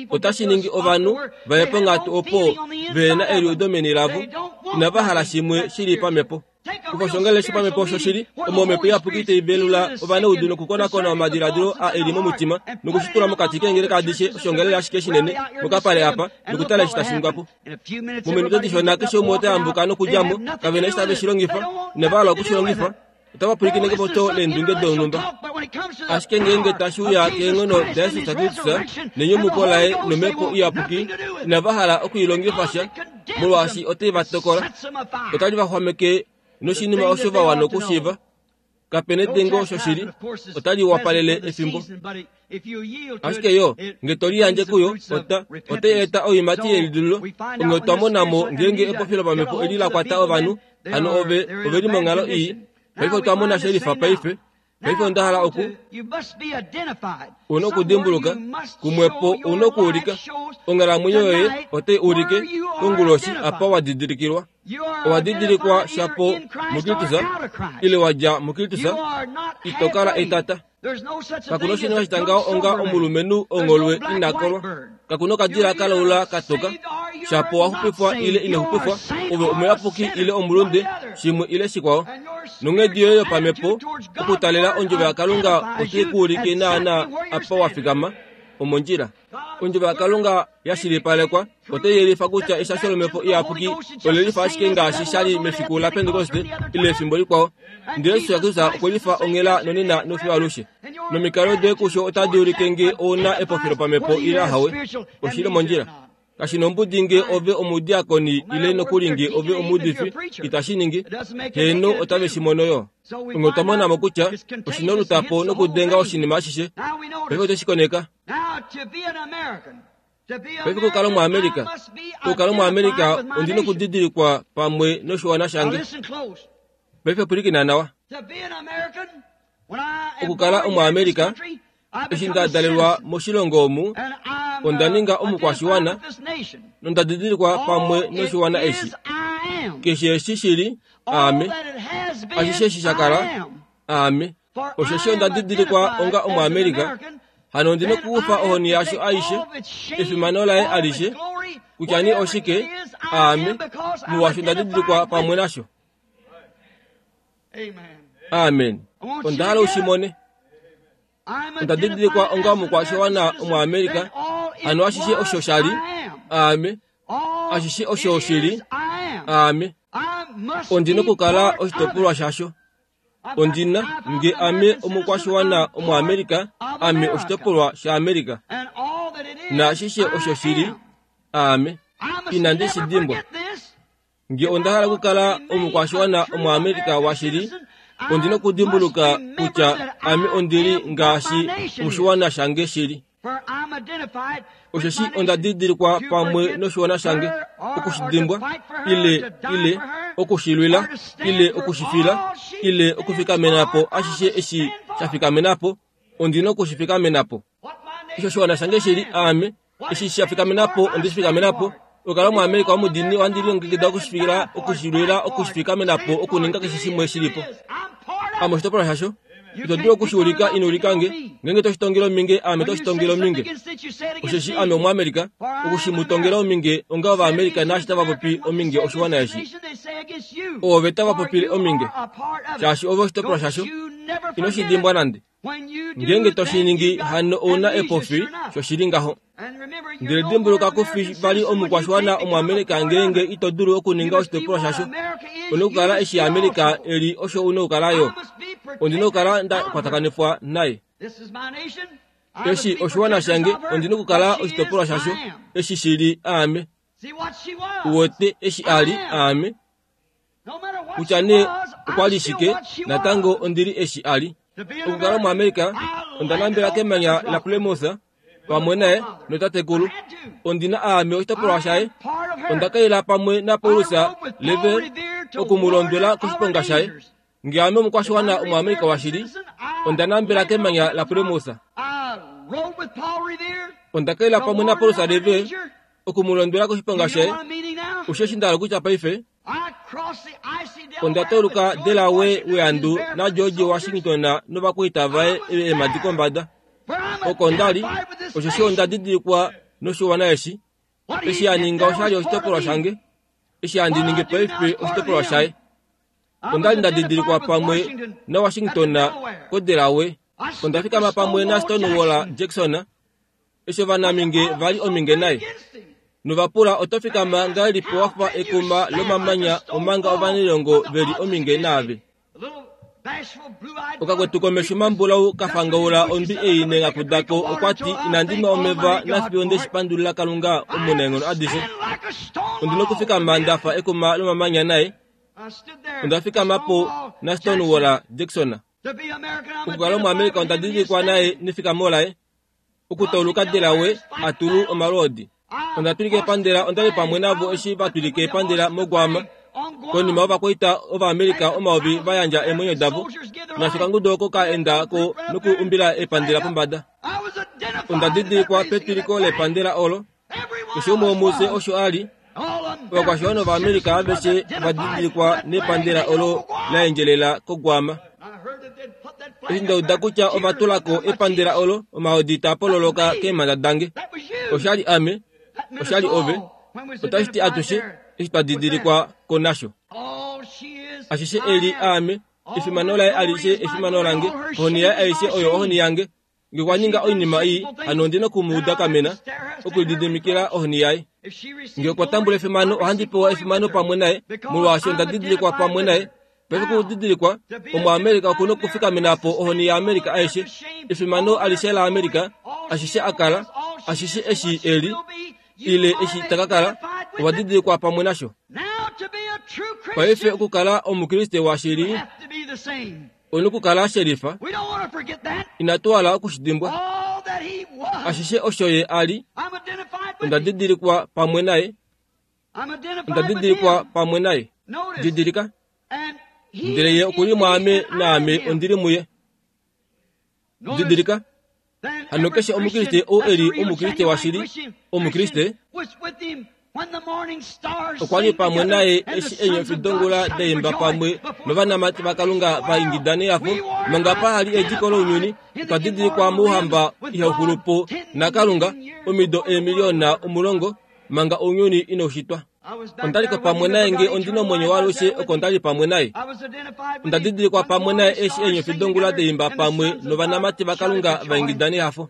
Otashi ningi ovanhu va ye ponghatu opo ve na eliudo meni lavo, inava hala shimwe shi li pamhepo. Kufa oshongalele shopamhepo shoshili, omo Omhepo Iyapuki tai velula ovanaudu nokukonakona omadiladilo a eli momutima, noku shi tula mokati keengeleka adishe, oshongalele ashike shinene mokapale apa, nokutala eshi tashi ningwa po. Mominute dishona keshe umwe ota yambuka nokudja mo, kave na eshi tave shi longifa, inava hala oku shi longifa. Otava pwilikine kepopyo leendunge donhumba. Ashike ngeenge tashi uya keenghono daJesus Kristus nenyumuko laye nomhepo iyapuki, inava hala oku i longifa sha, molwaashi otai va tokola. Otali va xwameke noshinima osho va wana okushiiva. Kape nedengo osho shili, otali wapalele efimbo. Ashike yo, nge to liyandje kuyo, ota, otai eta oiimati yelidululo. Onghee otwa mona mo ngeenge epofi lopamhepo eli la kwata ovanhu, hano ove, ove li monghalo ii. Paife otwa mona she lifa paife. Paife onda hala oku. U na okudimbuluka, kumwepo u na okuulika. Onghalamwenyo yoye otai ulike konguloshi apa wa didilikilwa. Owa didilikwa shapo muKristus ile wa dja muKristus, ito kala etata. Kaku na oshinima shita ngaho onga omulumenhu ongholwe ina kolwa. Kaku na okadila ka laula ka toka. Shapo wa xupifwa ile ino xupifwa, ove omuyapuki ile omulunde, shimwe ile shikwao. Nonghedi yoye yopamhepo okutalela ondjovo yaKalunga otai ku ulike naanaa apa wa fikama, omondjila. Ondjovo yaKalunga ya shilipalekwa otai yelifa kutya eshasho lOmhepo Iyapuki ole lifa ashike ngaashi sha li mefiku laPentekoste ile efimbo likwao. Ndele Jesus Kristus okwe lifa onghela nonena nofiyo alushe. Nomikalo doye kusho otadi ulike nge ou na epofi lopamhepo ile ahawe. Oshi li mondjila. Kashi nombudi nge ove omudiakoni ile nokuli nge ove omuudifi, itashi ningi. Heeno, otave shi mono yo. Onghee otwa mona mo kutya oshi na olutapo nokudenga oshinima ashishe. Paife otwe shi koneka. Paife okukala Omuamerika, okukala Omuamerika ondi nokudidilikwa pamwe noshiwana shange. Paife pwilikina nawa. Okukala Omuamerika, eshi nda dalelwa moshilongo omu, onda ninga omukwashiwana nonda didilikwa pamwe noshiwana eshi. Keshe eshi shi li, aame. Ashishe eshi sha kala, aame. Osheshi onda didilikwa onga Omuamerika, hano ondi nokukufa ohoni yasho aishe, efimano laye alishe, kutya ni oshike, aame, molwaashi onda didilikwa pamwe nasho. Amen. Onda hala u shi mone. Onda didilikwa onga omukwashiwana Omuamerika, hano ashishe osho sha li, aame, ashishe osho shi li, aame. Ondi nokukala oshitopolwa shasho. Ondi na, nge ame omukwashiwana Omuamerika, ame oshitopolwa shaAmerika. Naashishe osho shi li, aame. Inandi shi dimbwa. Nge onda hala okukala omukwashiwana Omuamerika washili, ondi na okudimbuluka kutya ame ondi li ngaashi oshiwana shange shi li. Osheshi onda didilikwa pamwe noshiwana shange, oku shi dimbwa, ile, ile oku shi lwila, ile oku shi fila, ile okufikamena po ashishe eshi sha fikamena po, ondi na oku shi fikamena po. Eshi oshiwana shange shi li, aame, eshi sha fikamena po, onde shi fikamena po. Okukala Omuamerika omudiinini ohandi lilongekida oku shi fila, oku shi lwila, oku shi fikamena po, okuninga keshe shimwe shi li po. Ame oshitopolwa shasho. Ito dulu oku shi ulika ino ulika nge. Ngeenge to shi tongele ominge, aame to shi tongele ominge. Osheshi ame Omuamerika, oku shi mu tongela ominge onga Ovaamerika naashi tava popi ominge oshiwana eshi. Oove tava popile ominge, shaashi ove oshitopolwa shasho. Ino shi dimbwa nande. Ngeenge to shi ningi hano ou na epofi, shoshili ngaho. Ndele dimbuluka ku fi vali omukwashiwana Omuamerika ngeenge ito dulu okuninga oshitopolwa shasho. U na okukala eshi Amerika e li osho u na okukala yo. Ondi na okukala nda kwatakanifwa naye. Eshi oshiwana shange, ondi na okukala oshitopolwa shasho. Eshi shi li aame. U wete eshi a li aame. Kutya nee okwa li shike, natango ondi li eshi a li. Okukala muAmerika, onda nambela kemanya laPlymouth pamwe naye notatekulu. Ondi na aame oshitopolwa shaye. Onda kaila pamwe naPaulus Revere oku mu londwela koshiponga shaye. Nge ame omukwashiwana Omuamerika washili, onda nambela kemanya laPlymouth. Onda kaila pamwe naPaulus Revere oku mu londwela koshiponga shaye. Osheshi nda hala okutya paife, Onda tauluka Delaware weandu naGeorge Washington novakwaita vaye eemhadi kombada. Oko nda li, osheshi onda didilikwa noshiwana eshi. Eshi a ninga osha li oshitopolwa shange. Eshi handi ningi paife oshitopolwa shaye. Onda li nda didilikwa pamwe naWashington koDelaware. Onda fikama pamwe naStonewall Jackson Eshi ovanaminge va li ominge naye, nova pula oto fikama ngahelipi wa fa ekuma lomamanya omanga ovanailongo ve li ominge naave? Okakwetu komesho mambulau ka fangaula ondwi ei neengaku dako okwa ti, Inandi nwa omeva nafiyo nde shi pandulila Kalunga Omunaenghono adishe. Ondi na okufikama nda fa ekuma lomamanya naye. Onda fikama po naStonewall Jackson. Okukala Omuamerika onda didilikwa naye nefikamo laye. Okutauluka Delaware a tulu omalwoodi. Onda twilika epandela onda li pamwe navo eshi va twilika epandela moGuam konima ovakwaita Ovaamerica omayovi va yandja eemwenyo davo naashi okangudu oko ka enda ko noku umbila epandela pombada. Onda didilikwa petwiliko lepandela olo. Keshe umwe womufye osho a li. Ovakwashiwana Ovaamerica aveshe ova didilikwa nepandela olo la endjelela koGuam. Eshi nda uda kutya ova tula ko epandela olo, omahodi taa pololoka keemhanda dange. Osha li ame, osha li ove, otashi ti atushe eshi twa didilikwa ko nasho. Ashishe e li aame, efimano laye alishe efimano lange, ohoni yaye aishe oyo ohoni yange. Nge okwa ninga oinima ii, hano ondi na oku mu udakamena, okulididimikila ohoni yaye. Nge okwa tambula efimano, ohandi pewa efimano pamwe naye, molwaashi onda didilikwa pamwe naye. Paife okudidilikwa, Omuamerika oku na okufikamena po ohoni yaAmerika aishe, efimano alishe laAmerika, ashishe a kala, ashishe eshi e li, ile eshi ta ka kala, ova didilikwa pamwe nasho. Paife okukala Omukriste washili, Ou na okukala shelifa. Inatu hala oku shi dimbwa. Ashishe osho ye a li, onda didilikwa pamwe naye. Onda didilikwa pamwe naye. Didilika. Ndele ye oku li mwaame naame ondi li muye. Didilika. Hano keshe Omukriste ou e li Omukriste washili, Omukriste, okwa li pamwe naye eshi eenyofi dongula da imba pamwe novanamati vaKalunga va ingida nehafo manga pa li ediko lounyuni. Otwa didilikwa mOuhamba ihau xulu po naKalunga omido eemiliyona omulongo manga ounyuni inau shitwa. Onda li ko pamwe naye nge ondi nomwenyo waalushe oko nda li pamwe naye. Onda didilikwa pamwe naye eshi eenyofi dongula da imba pamwe novanamati vaKalunga va ingida nehafo.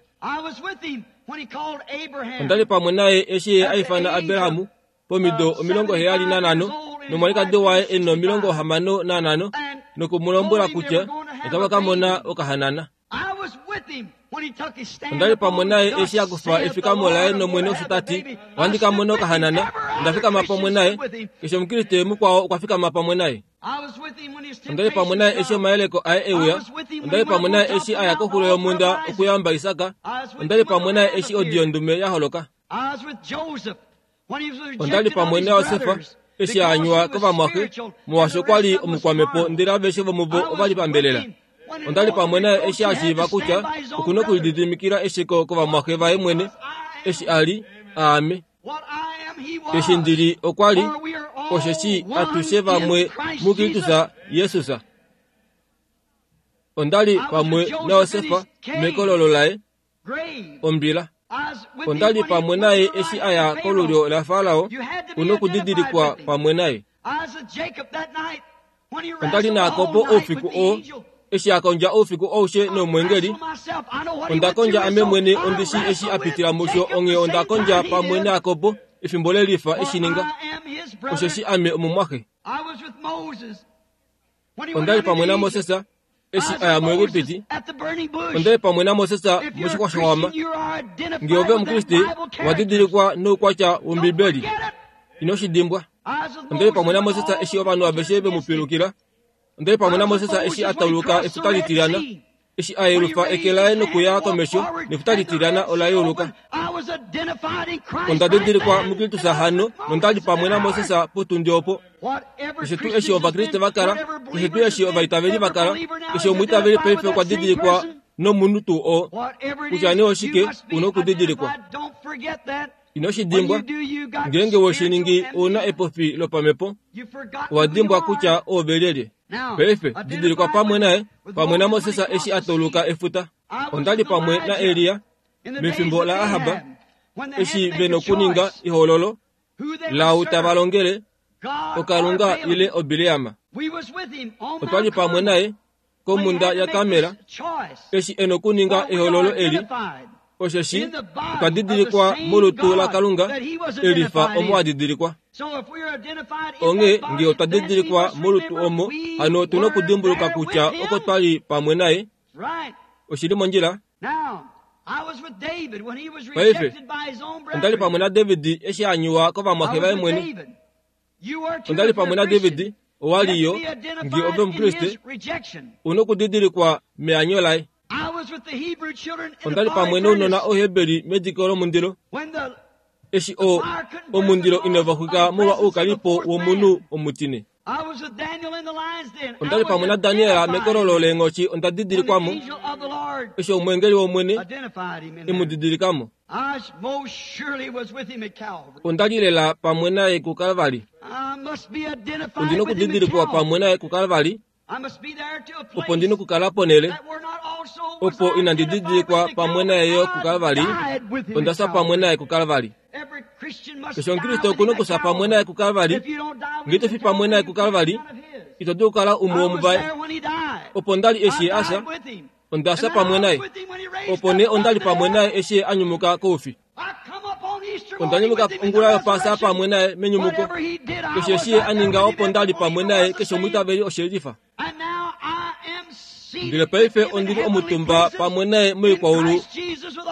Onda li pamwe naye eshi ye a ifana Abraham pomido 75 nomwalikadi waye e na65 noku mu lombwela kutya otava ka mona okahanana. Onda li pamwe naye eshi a kufa efikamo laye nOmwene osho ta ti, Ohandi ka mona okahanana. Onda fikama pamwe naye. Keshe Omukriste mukwao okwa fikama pamwe naye. Onda li pamwe naye eshi omayeleko aye e uya. Onda li pamwe naye eshi a ya koxulo yomhunda okuyamba Isak. Onda li pamwe naye eshi odi yondume ya holoka. Onda li pamwe naJosef eshi a anywa kovamwaxe, molwaashi okwa li omukwamhepo ndele aveshe vomuvo ova li pambelela. Onda li pamwe naye eshi a shiiva kutya oku na okulididimikila esheko kovamwaxe vaye mwene eshi a li aame. Eshi ndi li okwa li, osheshi atushe vamwe muKristus Jesus. Onda li pamwe naJosefa mekololo laye, ombila. Onda li pamwe naye eshi a ya kolulyo laFarao, u nokudidilikwa pamwe naye. Onda li naJakob oufiku oo, eshi a kondja oufiku aushe nomweengeli. Onda kondja ame mwene ondi shii eshi a pitila musho, onghee onda kondja pamwe naJakob efimbo le lifa e shi ninga, osheshi ame omumwaxe. Onda li pamwe naMoses eshi a ya muEgipiti. Onda li pamwe naMoses moshixwa showama. Ngee ove Omukriste, wa didilikwa noukwatya wOmbibeli. Ino shi dimbwa. Onda li pamwe naMoses eshi ovanhu aveshe ve mu pilukila. Onda li pamwe naMoses eshi a tauluka Efuta Litilyana, eshi a yelufa eke laye nokuya komesho, nEfuta Litilyana ola yeuluka. Onda didilikwa muKristus hano, nonda li pamwe naMoses potundi opo. Keshe tuu eshi Ovakriste va kala, keshe tuu eshi ovaitaveli va kala, keshe omwiitaveli paife okwa didilikwa nomunhu tuu oo. Kutya nee oshike, u nokudidilikwa. Ino shi dimbwa. Ngeenge we shi ningi ou na epofi lopamhepo, owa dimbwa kutya oove lyelye. Paife, didilikwa pamwe naye, pamwe naMoses eshi a tauluka efuta. Onda li pamwe naElia mefimbo laAhab, eshi ve nokuninga ehoololo laau tava longele, oKalunga ile oBileam. Otwa li pamwe naye komhunda yaKarmel, eshi e nokuninga ehoololo eli, osheshi otwa didilikwa molutu laKalunga e lifa omo a didilikwa. Onghee ngee otwa didilikwa molutu omo, hano otu nokudimbuluka kutya oko twa li pamwe naye. Oshi li mondjila? Paife, onda li pamwe naDavid eshi a nyuwa kovamwaxe vaye mwene. Onda li pamwe naDavid, owa li yo, ngee ove Omukriste, u nokudidilikwa meanyo laye. Onda li pamwe nounona Oheberi mediko lomundilo, eshi o, omundilo inava xwika molwa oukalipo womunhu omutine. Onda li pamwe naDaniel mekololo leenghoshi onda didilikwa mo, eshi omweengeli wOmwene e mu didilika mo. Onda li lela pamwe naye kuKalvari. Ondi nokudidilikwa pamwe naye kuKalvari, opo ndi nokukala ponhele opo inandi didilikwa pamwe naye yo kuKalvari. Onda fya pamwe naye kuKalvari. Keshe Omukriste oku nokufya pamwe naye kuKalvari. Ngee ito fi pamwe naye kuKalvari, ito dulu okukala umwe womuvaye. Opo nda li eshi ye a fya, onda fya pamwe naye. Opo nee onda li pamwe naye eshi ye a nyumuka koufi. Onda nyumuka ongula yOpaasa pamwe naye menyumuko. Keshe eshi ye a ninga opo nda li pamwe naye keshe omwiitaveli oshe lifa. Ndele paife ondi li omutumba pamwe naye moikwaulu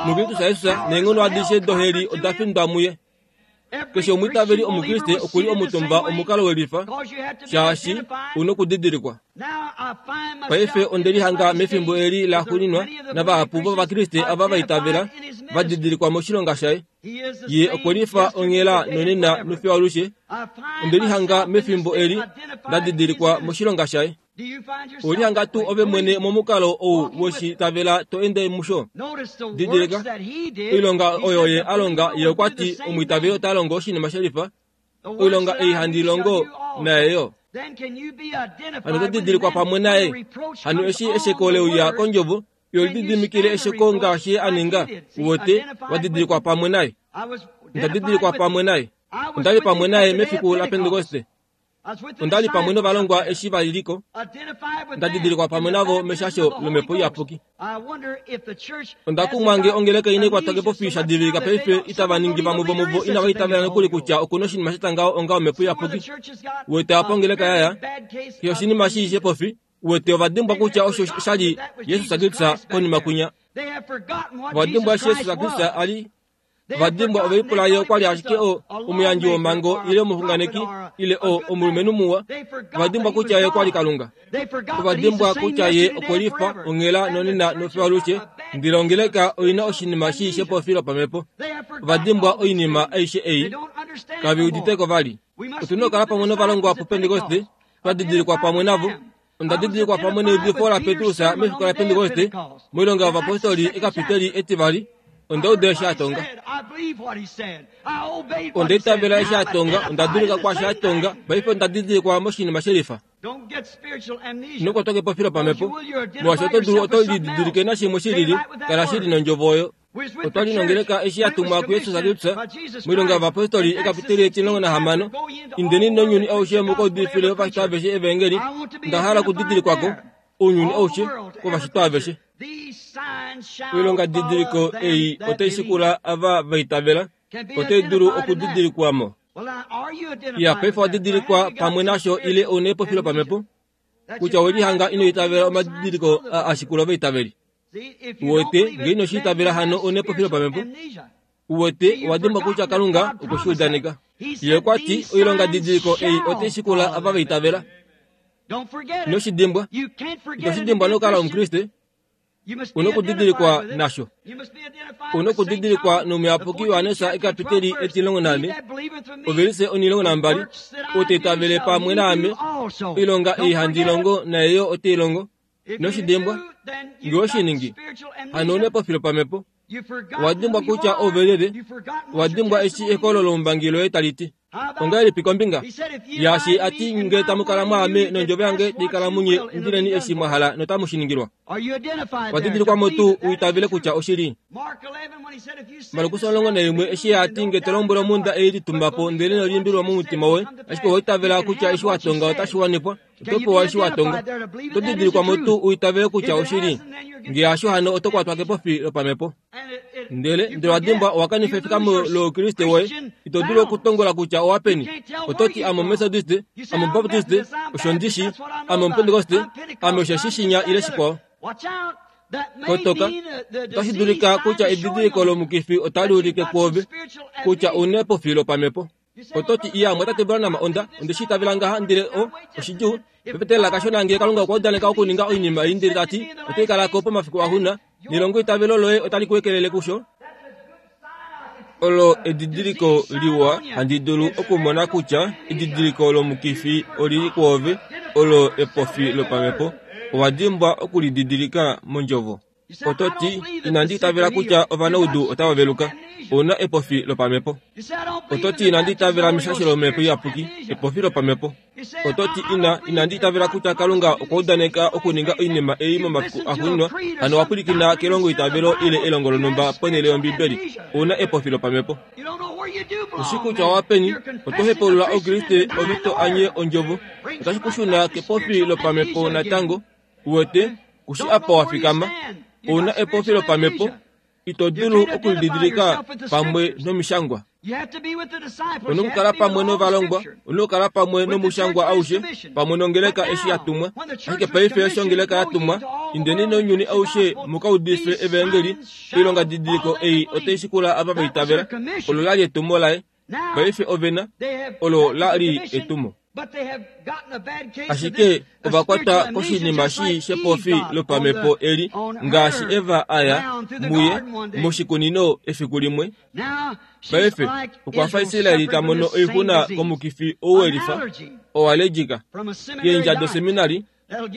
muKristus Jesus, neenghono adishe doheli oda findwa muye. Keshe omwiitaveli Omukriste oku li omutumba omukalo welifa, shaashi u nokudidilikwa. Paife onde lihanga mefimbo eli laxuuninwa navahapu vOvakriste ava va itavela va didilikwa moshilonga shaye. Ye okwe lifa onghela nonena nofiyo alushe. Onde lihanga mefimbo eli nda didilikwa moshilonga shaye. Owe lihanga tuu ove mwene momukalo ou we shi itavela to ende musho? Didilika, oilonga oyo ye a longa, ye okwa ti omwiitaveli ota longo oshinima she lifa, oilonga ei handi longo naye yo. Hano oto didilikwa pamwe naye. Hano eshi esheko le uya kondjovo, yo lididimikile esheko ngaashi ye a ninga, uwete, wa didilikwa pamwe naye. Onda didilikwa pamwe naye. Onda li pamwe naye mefiku laPentekoste. Onda li pamwe novalongwa eshi va li ko. Nda didilikwa pamwe navo meshasho lOmhepo Iyapuki. Onda kumwa nge ongeleka ine kwatwa kepofi sha divilika paife itava ningi vamwe vomuvo inava itavela nokuli kutya oku na oshinima sha tya ngaho onga Omhepo Iyapuki. Uwete apa ongeleka ya ya, keshe oshinima shii shepofi, uwete ova dimbwa kutya osho sha li Jesus Kristus konima kwinya. Ova dimbwa eshi Jesus Kristus a li Ova dimbwa ove lipula ye okwa li ashike o, omuyandji womhango ile omuxunganeki ile o, omulumenhu muwa. Ova dimbwa kutya ye okwa li Kalunga. Ova dimbwa kutya ye okwe lifa onghela nonena nofiyo alushe, ndele ongeleka oi na oshinima shii shepofi lopamhepo. Ova dimbwa oinima aishe ei. Kave udite ko vali. Otu na okukala pamwe novalongwa puPentekoste, twa didilikwa pamwe navo. Onda didilikwa pamwe neudifo laPetrus mefiku laPentekoste, mOilonga yOvapostoli ekapiteli etivali. Onda uda eshi a tonga. Onda itavela eshi a tonga, onda dulika kwaashi a tonga, paife onda didilikwa moshinima shelifa. Ino kwatwa kepopilo pamhepo, molwaashi oto dulu oto lididilike nashimwe shilili, kala shili nondjovo oyo. Otwa li nongeleka eshi ya tumwa kuJesus Kristus moilonga yovapostoli ekapiteli 16, Indeni nounyuni aushe mu ka udifile ovashitwa aveshe evangeli. Onda hala okudidilikwa ko, ounyuni aushe, kovashitwa aveshe. Oilongadidiliko ei otai shikula ava va itavela, otai dulu okudidilikwa mo. Ya paife wa didilikwa pamwe nasho ile ou na epopilo pamhepo kutya we lihanga ino itavela omadidiliko a a shikula ovaitaveli. Uwete, nge ino shi itavela hano ou na epopilo pamhepo. Uwete, owa dimbwa kutya Kalunga okwe shi udaneka. Ye okwa ti, Oilongadidiliko ei otai shikula ava va itavela. Ino shi dimbwa. Ito shi dimbwa nokukala Omukriste. U nokudidilikwa nasho. U nokudidilikwa nomuyapuki Johannes ekapiteli 14, ovelise 12, Ou ta itavele pamwe naame, oilonga ei handi longo naye yo ote i longo. Ino shi dimbwa. Nge owe shi ningi, hano ou na epopilo pamhepo. Owa dimbwa kutya ove lyelye. Owa dimbwa eshi eholo loumbangi loye tali ti. Ongahelipi kombinga yaashi a ti, Nge tamu kala mwaame nondjovo yange tai kala munye, indileni eshi mwa hala notamu shi ningilwa? Owa didilikwa mo tuu u itavele kutya oshili? Markus 11 eshi a ti, Nge to lombwele omhunda ei litumba po ndele ino limbililwa momutima woye, ashike owa itavela kutya eshi wa tonga otashi wanifwa, oto pewa eshi wa tonga. Oto didilikwa mo tuu u itavele kutya oshili? Nge hasho hano oto kwatwa kepofi lopamhepo. Ndele ndele wa dimbwa owa kanifa efikamo loukriste woye, ito dulu okutongola kutya owa peni. Oto ti ame Omethodiste, ame Omubaptiste, osho ndi shi, ame Omupentekoste, ame osheshi shinya ile shikwao. Kotoka, otashi dulika kutya edidiliko lomukifi otali ulike kwoove kutya u na epofi lopamhepo. Oto ti, Iya, Mwatate Branham, onda, onde shi itavela ngaha, ndele o, oshidjuu. Pepetelela kashona ngee Kalunga okwa udaneka okuninga oinima ei ndele ta ti otai kala ko pomafiku axuuninwa, nelongo itavelo loye otali ku ekelele kusho. Olo edidiliko liwa handi dulu okumona kutya edidiliko lomukifi oli li kwoove, olo epofi lopamhepo. Owa dimbwa okulididilika mondjovo. Oto ti, Inandi itavela kutya ovanaudu otava veluka. Ou na epofi lopamhepo. Oto ti, Inandi itavela meshasho lOmhepo Iyapuki. Epofi lopamhepo. Oto ti, Ina, inandi itavela kutya Kalunga okwa udaneka okuninga oinima ei momafiku axuuninwa. Hano owa pwilikina kelongoitavelo ile elongo lonhumba ponhele yOmbibeli. Ou na epofi lopamhepo. Ku shi kutya owa peni, oto hepaulula Oukriste ove to anye Ondjovo. Otashi ku shuna kepofi lopamhepo natango. Uwete, ku shi apa wa fikama. Ou na epofi lopamhepo, ito dulu okulididilika pamwe nomishangwa. Ou na okukala pamwe novalongwa, ou na okukala pamwe nomushangwa aushe, pamwe nongeleka eshi ya tumwa. Ashike paife eshi ongeleka ya tumwa, indeni nounyuni aushe mu ka udife evaengeli, oilongadidiliko ei otai shikula ava va itavela. Olo la li etumo laye. Paife ove na, olo la li etumo. Ashike ova kwatwa koshinima shii shepofi lopamhepo eli, ngaashi Eva a ya muye moshikunino efiku limwe. Paife okwa fa Israel ta mono oixuna komukifi ou welifa, oallegika, keendja doseminari,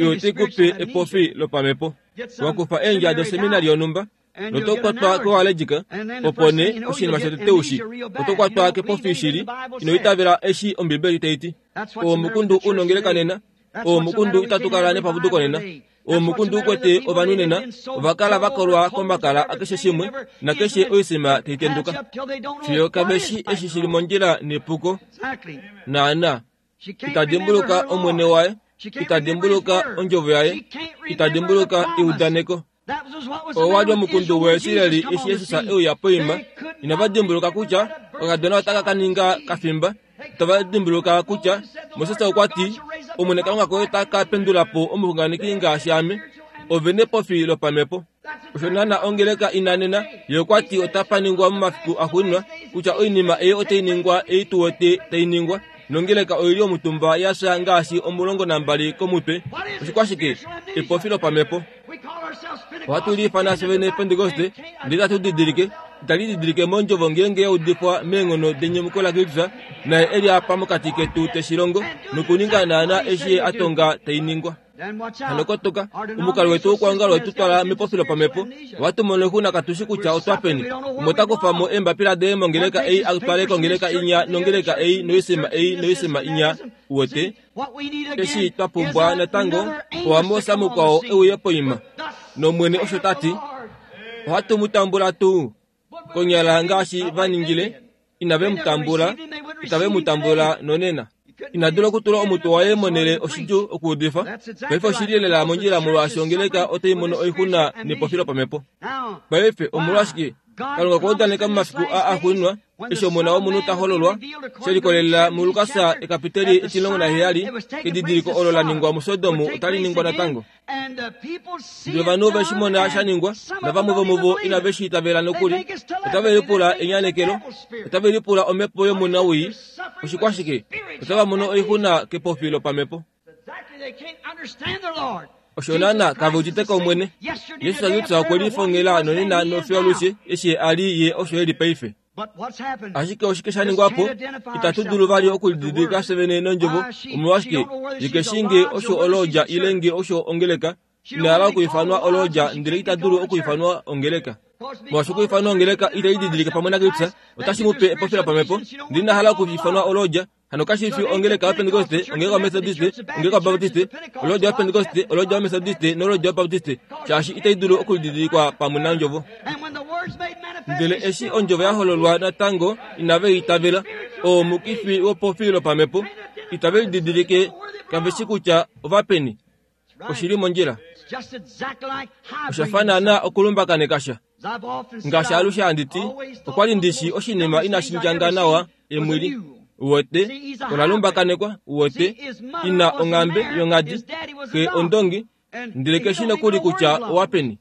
oyo tai ku pe epofi lopamhepo. Wa kufa eendja doseminari yonhumba, noto kwatwa koalejika, opo nee oshinima shotete ushi, oto kwatwa kepofi shili, ino itavela eshi Ombibeli tai ti. Oo omukundu u nongeleka nena, oo omukundu itatu kala nepapuduko nena, oo omukundu u kwete ovanhu nena, ova kala va kolwa komakala akeshe shimwe, nakeshe oisima tai tenduka. Fiyo kave shi eshi shi li mondjila nepuko. Naana. Ita dimbuluka Omwene waye, ita dimbuluka ondjovo yaye, ita dimbuluka eudaneko. Owa li omukundu weEsraeli eshi Jesus e uya poima. Inava dimbuluka kutya okakadona otaka ka ninga kafimba. Itava dimbuluka kutya Moses okwa ti, Omwene Kalunga koye ota ka pendula po omuxunganeki ngaashi ame. Ove nepofi lopamhepo. Osho naana ongeleka ina nena. Ye okwa ti otapa ningwa momafiku axuuninwa kutya oinima ei otai ningwa ei tu wete tai ningwa. Nongeleka oi li omutumba ya fya ngaashi 12 komutwe. Oshikwashike? Epofi lopamhepo. Ohatu liifana fye vene Pentekoste, ndele itatu didilike, itali didilike mondjovo ngeenge ya udifwa meenghono denyumuko laKristus, naye e li apa mokati ketu te shi longo, nokuninga naana eshi ye a tonga tai ningwa. Hano kotoka, omukalo wetu wokwoongala wetu twala mepofilo pamhepo. Ohatu mono oixuna katu shi kutya otwa peni. Umwe ota kufa mo eembapila daye mongeleka ei a twale kongeleka inya nongeleka ei noisima ei noisima inya. Uwete? Eshi twa pumbwa natango oAmos mukwao e uye poima. NOmwene osho ta ti. Ohatu mu tambula tuu? Konyala ngaashi va ningile, inave mu tambula, itave mu tambula nonena. Ina dula okutula omutwe waye monhele oshidjuu okuudifa. Paife oshi li lela mondjila molwaashi ongeleka otai mono oixuna nepofilo pamhepo. Paife omolwashike Kalunga okwa udaneka momafiku aa axuuninwa eshi Omona wOmunhu ta hololwa, she likolelela muLukas ekapiteli 17, kedidiliko olo la ningwa muSodom otali ningwa natango. Ndele ovanhu ove shi mona sha ningwa, navamwe vomuvo inave shi itavela nokuli. Otave lipula enyanekelo, otave lipula omhepo yomunawii. Oshikwashike? Otava mono oixuna kepofi lopamhepo. Osho naana kave udite ko Omwene. Jesus Kristus okwe lifongela nonena nofiyo alushe eshi a li ye osho e li paife. Ashike oshike sha ningwa po? Itatu dulu vali okulididilika fye vene nondjovo. Omolwashike? Ye ke shii nge osho olodja ile nge osho ongeleka. Ina hala okuifanwa olodja ndele ita dulu okuifanwa ongeleka. Molwaashi okuifanwa ongeleka itai didilike pamwe naKristus, otashi mu pe epopilo pamhepo. Ndele ina hala okuifanwa olodja, Hano kashi fi ongeleka yoPentekoste, ongeleka yoMethodiste, ongeleka yoBaptiste, olodja yoPentekoste, olodja yoMethodiste nolodja yoBaptiste, shaashi itai dulu okudidilikwa pamwe nOndjovo. Ndele eshi Ondjovo ya hololwa natango, inave I itavela. Oo omukifi wopofi lopamhepo. Itave lididilike, kave shi kutya ova peni. Oshi li mondjila. Osha fa naanaa okulumbakaneka sha. Ngaashi alushe handi ti, okwa li ndi shi oshinima inashi ndjanga nawa emwili. Uwete, ola lumbakanekwa, uwete, ina onghambe yonghadi, xe ondongi, ndele ke shi nokuli kutya owa peni.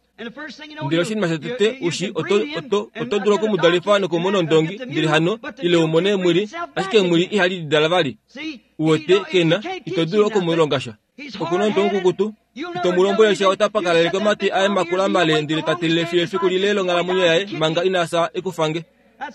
Ndele oshinima shotete u shi, oto, oto, oto dulu oku mu dalifa nokumona ondongi, ndele hano, ile u mone emwili, ashike emwili ihali lidala vali. Uwete, ke na, ito dulu oku mu longa sha. Oku na omutwe mukukutu. Ito mu lombwele sha ota pakaleleke omatwi aye makula male ndele ta telele fiyo efiku lile longhalamwenyo yaye manga ina fya ekufange.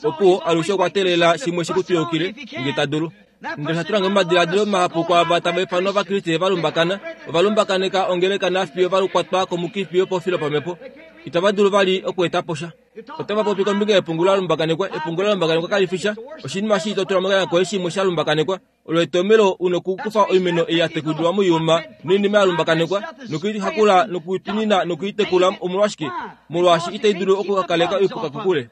Opuwo alushe okwa teelela shimwe shi ku twiyukile nge ta dulu. Ndele osha tula nge momadiladilo mahapu kwaava tava ifanwa Ovakriste va lumbakana. Ova lumbakaneka ongeleka nafiyo va kwatwa komukifi wopofi lopamhepo. Itava dulu vali okweeta po sha. Otava popi kombinga yepungu la lumbakanekwa. Epungu la lumbakanekwa kali fi sha. Oshinima shii to tula mokanya koye shimwe sha lumbakanekwa. Olo etomelo u nokukufa oimeno ei ya tekulilwa moiuma noinima ya lumbakanekwa nokuihakula nokuitunina nokuitekula. Omolwashike? Molwaashi itai dulu okukaleka oipuka kokule.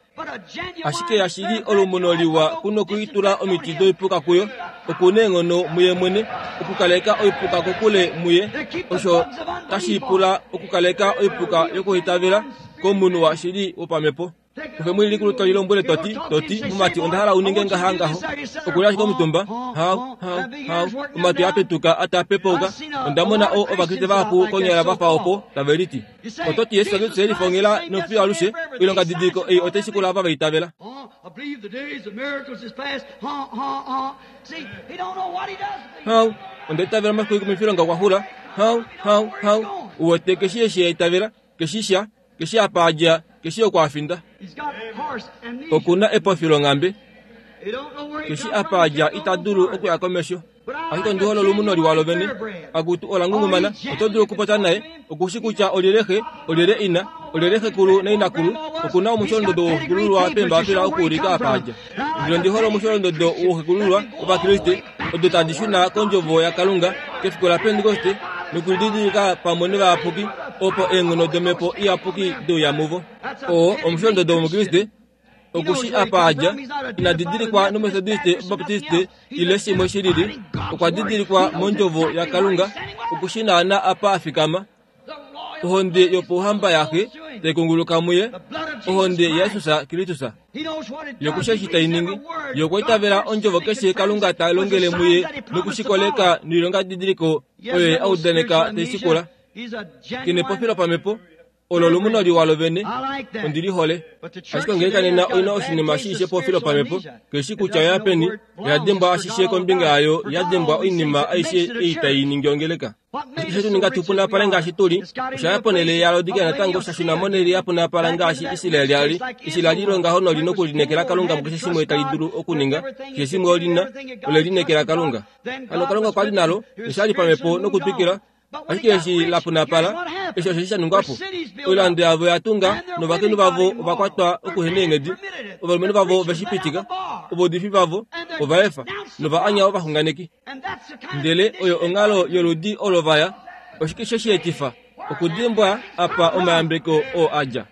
Ashike yashili olumuno liwa ku nokuitula omiti doipuka kuyo. Oku neenghono muye mwene okukaleka oipuka kokule muye. Osho tashi pula okukaleka oipuka yokuhitavela komunhu washili wopamhepo. Ove mwene likulu to lilombwele to ti, to ti, Mumati, onda hala u ninge ngaha ngaho. Oku li ashike omutumba, hau, hau, hau, omatwi a petuka a taa pepauka. Onda mona o, Ovakriste vahapu konyala va fa opo, tave liti. Oto ti, Jesus Kristus e lifongela nofiyo alushe, oilongadidiliko ei otai shikula ava va itavela. Hau, onda itavela omafiku oikumifilonga okwa xula. Hau, hau, hau. Uwete, ke shii eshi a itavela, ke shii sha. Keshi apa a dja, keshi oku a finda. Oku na epofi longhambe. Keshi apa a dja ita dulu okuya komesho. Ashike ondi hole olumuno liwa lovene. Akutu ola ngungumana, oto dulu okupopya naye. Oku shi kutya olyelye xe, olyelye ina, olyelye xekulu nainakulu. Oku na omusholondodo wooxekulululwa peembapila okuulika apa a dja. Ndele ondi hole omusholondodo wooxekulululwa Ovakriste, odo tadi shuna kOndjovo yaKalunga kefiku laPentekoste nokulididilika pamwe novayapuki opo eenghono domhepo iyapuki de uya muvo. Oo omusholondodo wOmukriste. Oku shi apa a dja, ina didilikwa nOmetodiste, Obaptiste ile shimwe shi lili. Okwa didilikwa mOndjovo yaKalunga. Oku shi naana apa a fikama. Ohonde yopouhamba yaXe tai kunguluka muye, ohonde yaJesus Kristus. Ye oku shi eshi tai ningi. Ye okwa itavela ondjovo keshe Kalunga ta longele muye noku shi koleka noilongadidiliko oyo ye a udaneka tai shikula. Ke nepopilo lopamhepo, olo olumuno liwa lovene. Ondi li hole. Ashike ongeleka nena oi na oshinima shii shepopilo lopamhepo. Ke shii kutya oya peni, oya dimbwa ashishe kombinga yayo, ya dimbwa oinima aishe ei tai ningi ongeleka. Ashike she tu ninga tu punapale ngaashi tu li, osha ya ponhele yaLaodikea natango, sha shuna monhele ya punapala ngaashi Israel a li. Eshi la li longaho noli nokulineekela Kalunga mukeshe shimwe tali dulu okuninga, keshe shimwe oli na, ole lineekela Kalunga. Hano Kalunga okwa li nalo, nosha li pamhepo nokutwikila. Ashike eshi la punapala, eshi osheshi sha ningwa po. Oilando yavo oya tunga, novakainhu vavo ova kwatwa okuhena eenghedi. Ovalumenhu vavo ove shi pitika, ovaudifi vavo ova efa, nova anya ovaxunganeki. Ndele oyo onghalo yoludi olo va ya. Oshike she shi etifa? Okudimbwa apa omayambeko oo a dja.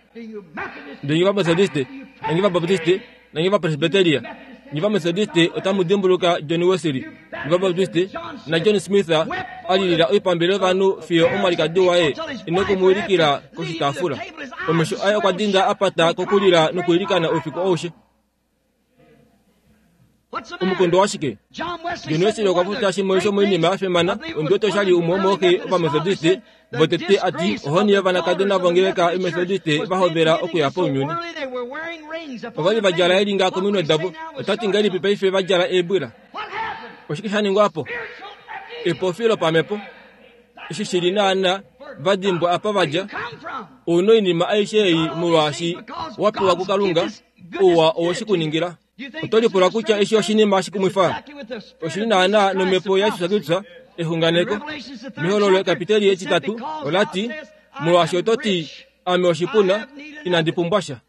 Ndele nye Ovametodiste, nanye Ovabaptiste, nanye Ovapresbiteria, nye Ovametodiste otamu dimbuluka John Wesley, nye Ovabaptiste, naJohn Smith a lilila oipambele yovanhu fiyo omwalikadi waye ine ku mu wilikila koshitaafula. Omesho aye okwa dinda a pata kokulila nokwiilikana oufiku aushe. Omukondo washike? John Wesley okwa popya shimwe shomoinima ya fimana ondi wete osha li umwe womooxe Ovamethodiste votete a ti ohoni yovanakadona vongeleka yoMethodiste va hovela okuya pounyuni. Ova li va djala elinga kominwe davo. Ota ti ngahelipi paife va djala eebwila? Oshike sha ningwa po? Epofi lopamhepo. Eshi shi li naana va dimbwa apa va dja. Ou na oinima aishe ei molwaashi wa pewa kuKalunga. Ouwa owe shi ku ningila. Oto lipula kutya eshi oshinima shikumwifa? Oshi li naanaa nomhepo yaJesus Kristus, exunganeko. Mehololo ekapiteli etitatu ola ti, Molwaashi oto ti, Ame oshipuna, inandi pumbwa sha.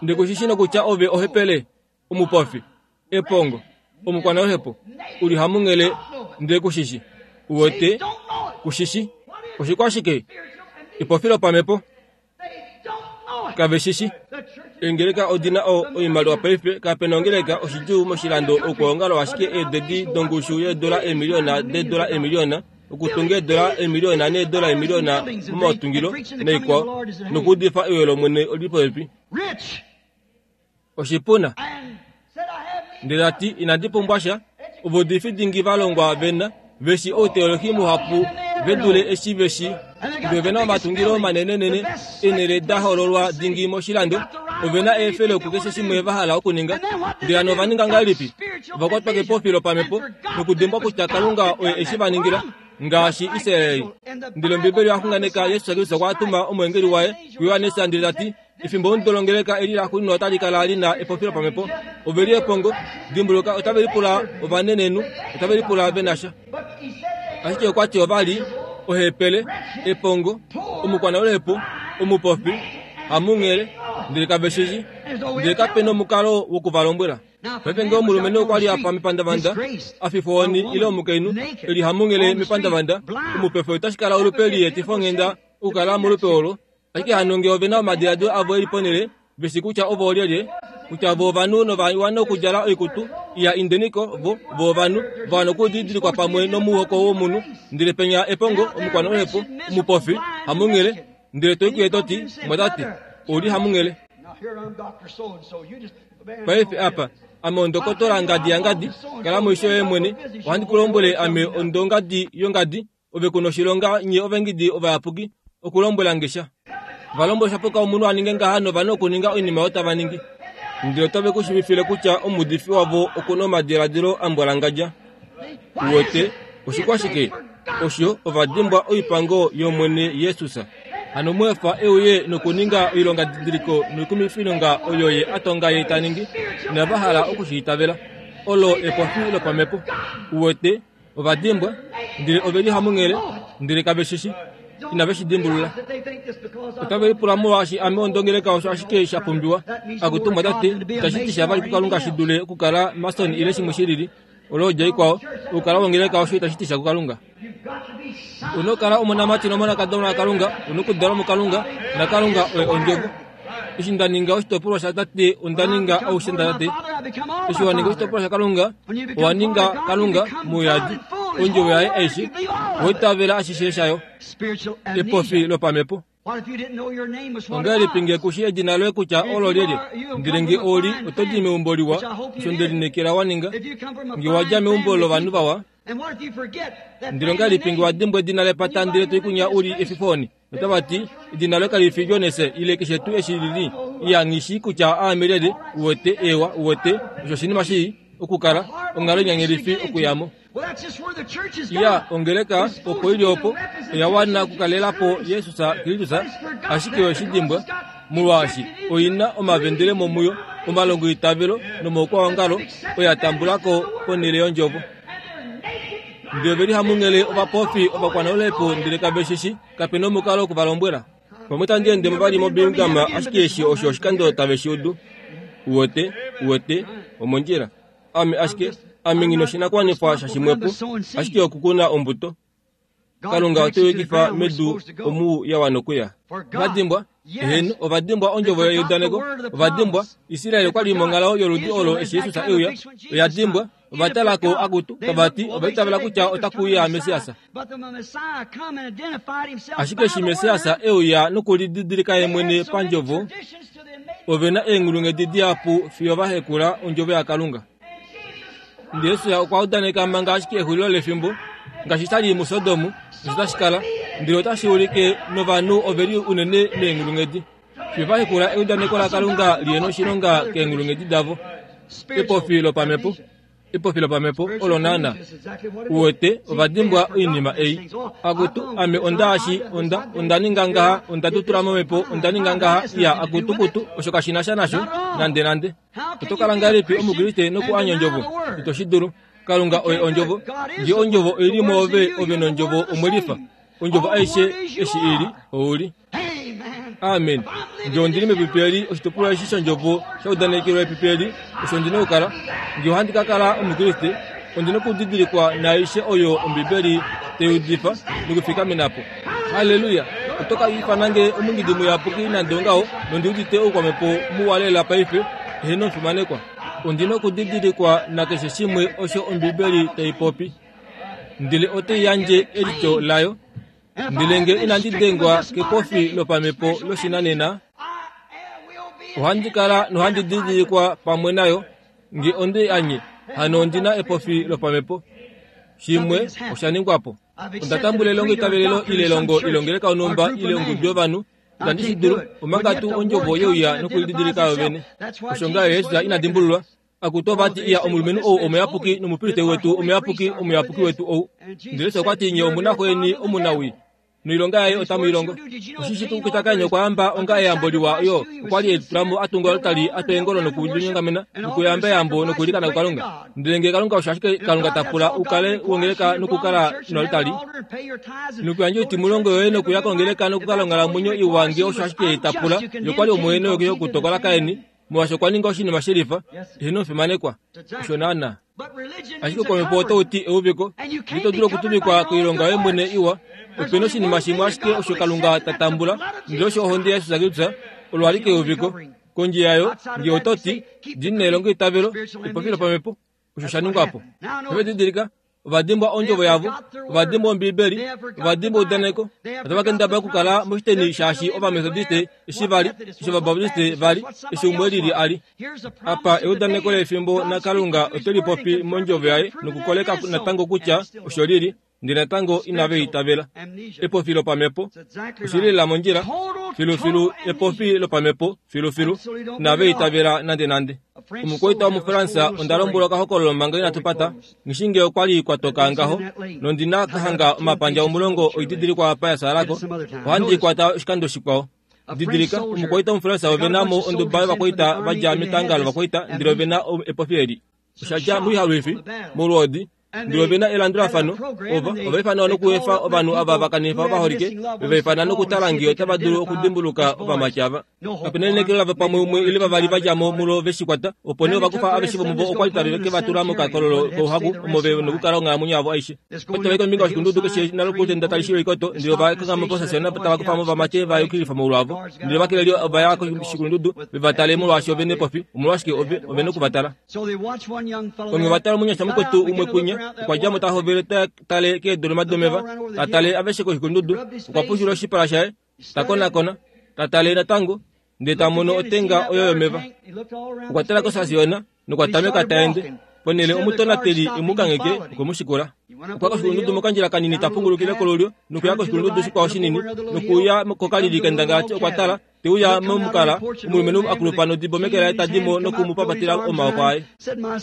Ndi ku shi shi nokutya ove ohepele, omupofi, epongo, omukwanaluhepo, u li hamunghele, nde ku shi shi. U wete, ku shi shi. Oshikwashike? Epofi lopamhepo. Kave shi shi. Eengeleka odi na oimaliwa paife. Kape na ongeleka oshidjuu moshilando okwoongalo ashike eededi dongushu yeedola eemiliona deedola eemiliona okutunga eedola eemiliona needola eemiliona momautungilo naikwao nokuudifa euyo lOmwene oli li popepi. Oshipuna. Ndele ta ti, Inandi pumbwa sha. Ovaudifi dingi va longwa ve na, ve shi outeolohi muhapu ve dule eshi ve shi. Ndele ove na omatungilo manenenene, eenhele da hoololwa dingi moshilando. Ove na eefele kukeshe shimwe va hala okuninga. Ndele hano ova ninga ngahelipi? Ova kwatwa kepofi lopamhepo nokudimbwa kutya Kalunga oye eshi va ningila. Ngaashi Israel. Ndele Ombibeli oya xunganeka Jesus Kristus okwa tuma omweengeli waye kuJohannes ndele ta ti, Efimbo omudo longeleka eli laxuuninwa otali kala li na epopilo pamhepo. Ove li epongo. Dimbuluka, otave lipula ovanenenhu, otave lipula ve na sha. Ashike okwa ti ova li ohepele, epongo, omukwanaluhepo, omupofi, hamunghele, ndele kave shi shii. Ndele kape na omukalo woku va lombwela. Paife ngee omulumenhu okwa li a fa mepandavanda, a fifwa ohoni ile omukainhu e li hamunghele mepandavanda, omupefe otashi kala olupe li etifa onghenda okukala molupe olo. Ashike hano nge ove na omadiladilo avo e li ponhele, ve shii kutya ovo oolyelye, kutya vo ovanhu nova wana okudjala oikutu iya indeniko, vo, vo ovanhu, va wana okudidilikwa pamwe nomuhoko womunhu, ndele penya epongo, omukwanaluhepo, omupofi, hamunghele, ndele to i kuye to ti, Mwatate, ou li hamunghele. Paife apa, ame ondokotola ngadi yangadi, kala moisho yoye mwene, ohandi ku lombwele ame ondongadi yongadi, Ove ku noshilonga nye ovengidi ovayapuki okulombwela nge sha. Va lombwela osha puka omunhu a ninge ngaha nova na okuninga oinima oyo tava ningi. Ndele otave ku shiivifile kutya omuudifi wavo oku na omadiladilo a mbwalangadja. Uwete, oshikwashike? Osho, ova dimbwa oipango yOmwene Jesus. Hano mu efa e uye nokuninga oilongadidiliko noikumifilonga oyo ye a tonga ye ta ningi. Inava hala oku shi itavela. Olo epofi lopamhepo. Uwete? Ova dimbwa, ndele ove li hamunghele, ndele kave shi shi. Inave shi dimbulula. Otave lipula molwaashi ame ondongeleka osho ashike sha pumbiwa. Akutu mwatate, itashi ti sha vali kuKalunga shi dule okukala Mason ile shimwe shi lili. Olo odjo ikwao. Okukala wongeleka osho itashi ti sha kuKalunga. U na okukala omonamati nomonakadona waKalunga, u na okudalwa muKalunga, naKalunga oye Ondjovo. Eshi nda ninga oshitopolwa shaTate, onda ninga aushe ndaTate. Eshi wa ninga oshitopolwa shaKalunga, owa ninga Kalunga mouyadi, ondjovo yaye aishe, owa itavela ashishe shayo. Epofi lopamhepo. Ongahelipi nge ku shi edina loye kutya olo lyelye? Ndele nge oli, oto di meumbo liwa, osho nde lineekela wa ninga. Nge wa dja meumbo lovanhu vawa, Ndele ongahelipi nge wa dimbwa edina lepata ndele to i kunya u li efifoni? Otava ti, Edina loye kali fi Jones ile keshe tuu eshi li li. Iya, nghi shii kutya aame lyelye, uwete, eewa, uwete, osho oshinima shii okukala, onghalo inyanyalifi okuya mo. Iya, ongeleka opo i li opo, oya wana okukalela po Jesus Kristus, ashike oye shi dimbwa, molwaashi oi na omavendele momuyo, omalongoitavelo nomaukwaongalo oya tambula ko ponhele yOndjovo. Ndele ove li hamunghele ovapofi ovakwanaulepo ndele kave shi shi, kape na omukalo oku va lombwela. Pamwe tandi ende mo vali moBirmingham ashike eshi osho oshikando tave shi udu. Uwete, uwete, omondjila. Ame ashike, ame nghi noshinakuwanifwa shashimwepo, ashike okukuna ombuto. Kalunga ote yukifa medu omu ya wana okuya. Ova dimbwa, eheno, ova dimbwa ondjovo yeudaneko. Ova dimbwa, Israel okwa li monghalo yoludi olo eshi Jesus e uya. Oya dimbwa, ova tala ko akutu, tava ti ova itavela kutya otaku uya Messias. Ashike eshi Messias e uya nokulididilika ye mwene pandjovo, ove na eenghulunghedi dihapu fiyo va hekula ondjovo yaKalunga. Ndele Jesus okwa udaneka manga ashike exulilo lefimbo, ngaashi sha li muSodom, osho tashi kala, ndele otashi ulike novanhu ove li unene meenghulunghedi. Fiyo va hekula eudaneko laKalunga li ye noshilonga keenghulunghedi davo. Epofi lopamhepo. Epofi lopamhepo olo naana. Uwete, ova dimbwa oinima ei. Akutu, ame onda ashi, onda, onda ninga ngaha, onda tutula momhepo, onda ninga ngaha, iya, akutu, kutu, osho kashi na sha nasho, nande nande. Oto kala ngahelipi Omukriste noku anya Ondjovo? Ito shi dulu. Kalunga oye Ondjovo. Nge Ondjovo oi li mwoove, ove nOndjovo omwe lifa. Ondjovo aishe eshi i li, ou li. Amen. Nge ondi li mepipi eli, oshitukulwa eshi shOndjovo sha udanekelwa epipi eli, osho ndi na okukala. Nge ohandi ka kala Omukriste, ondi na okudidilikwa naaishe oyo Ombibeli tai udifa nokufikamena po. Halleluya! Oto ka ifana nge omungidi muyapuki nande ongaho, nondi udite oukwamhepo muwa lela paife, eheno omufimanekwa. Ondi na okudidilikwa nakeshe shimwe osho Ombibeli tai popi. Ndele otai yandje elityo layo. Ndele nge inandi dengwa kepofi lopamhepo loshinanena, ohandi kala nohandi didilikwa pamwe nayo. Nge onde anye, hano ondi na epofi lopamhepo. Shimwe osha ningwa po. Onda tambula elongo itavelelo ile elongo ile ongeleka yonhumba ile ongudu yovanhu. Itandi shi dulu, omanga tuu ondjovo ye uya nokulididilika yo vene. Osho ngaho Jesus ina dimbululwa. Akutu ova ti, Iya, omulumenhu ou omuyapuki, nomupristeli wetu omuyapuki, omuyapuki wetu ou. Ndele Jesus okwa ti, Nye omu na xo yeni omunawii, noilonga yaye otamu i longo. Oshishi tuu kutya Kain okwa yamba onga eyambo liwa yo okwa li e litula mo a tunga oaltari a twa eengolo nokulinyongamena nokuyamba eyambo nokuilikana kuKalunga. Ndele ngee Kalunga osho ashike Kalunga ta pula u kale wongeleka nokukala noaltari nokuyandja oitimulongo yoye nokuya kongeleka nokukala onghalamwenyo iwa ngee osho ashike ta pula, ye okwa li omuhenoyoki yokutokola Kain molwaashi okwa ninga oshinima shelifa ihe nomufimanekwa. Osho naanaa. Ashike kwamhepo otau ti euviko, ito dulu okutuvikwa koilonga yoye mwene iwa. Ope na oshinima shimwe ashike osho Kalunga ta tambula, ndele osho ohonde yaJesus Kristus, olo alike euviko. Kondje yayo, nge oto ti, Ndi na elongoitavelo, epofi lopamhepo, osho sha ningwa po. Ove didilika, ova dimbwa ondjovo yavo, ova dimbwa Ombibeli, ova dimbwa eudaneko, otava kendabala okukala moshiteni shaashi Ovametodiste eshi va li, eshi Ovabaptiste va li, eshi umwe lili a li. Apa eudaneko lefimbo naKalunga ote li popi mondjovo yaye nokukoleka natango kutya osho li li, ndele natango inave itavela. Epofi lopamhepo oshi li lela mondjila, filufilu epofi lopamhepo, filufilu inave itavela nandenande. Omukwaita womuFransa onda lombwelwa okahokololo manga inatu pata, nghi nge okwa li kwa toka ngaho, nondi na ka hanga omapandja omulongo oididilikwa apa ya salako, ohandi i kwata oshikando shikwao. Didilika, omukwaita womuFransa ove na mo onduba yovakwaita va dja metanga lovakwaita, ndele ove na epofi eli. Osha dja moihalwifi, molwoodi, Ndele ove na elandulafano, ova, ova ifanwa nokuefa ovanhu ava va kanifa ovaholike, ve va ifana nokutala ngee otava dulu okudimbuluka ovamati ava. Kape na elineekelo lavo pamwe umwe ile vavali va dja mo mulo ve shi kwata, opo nee ova kufa aveshe vomuvo okwa li tave ke va tula mokakololo kouhaku omo ve nokukala onghalamwenyo yavo aishe. Otava i kombinga yoshikundudu keshe nalokutenda tali shilwa oikoto, ndele ova kanghama posasiona tava kufa mo ovamati va yukililifa moulu avo. Ndele ovakeleli ova ya koshikulundudu ve va tale molwaashi ove nepofi. Omolwashike ove, ove noku va tala. Onghee ova tala omunyasha mukwetu umwe kwinya, okwa dja mo ta hovele ta tale keedoloma domeva, ta tale aveshe koshikulundudu, okwa pushula oshipala shaye, ta konakona, ta tale natango, ndele ta mono otenga oyo yomeva. Okwa tala kosasiona nokwa tameka ta ende. Ponhele omutonateli e mu kangheke, okwe mu shikula. Okwa koshikulundudu mokandjila kanini ta pungulukile kolulyo nokuya koshikulundudu shikwao shinini nokuuya kokalili kendangalati okwa tala te uya momukala omulumenhu a kulupa nodibo meke laye ta di mo noku mu papatela omaoko aye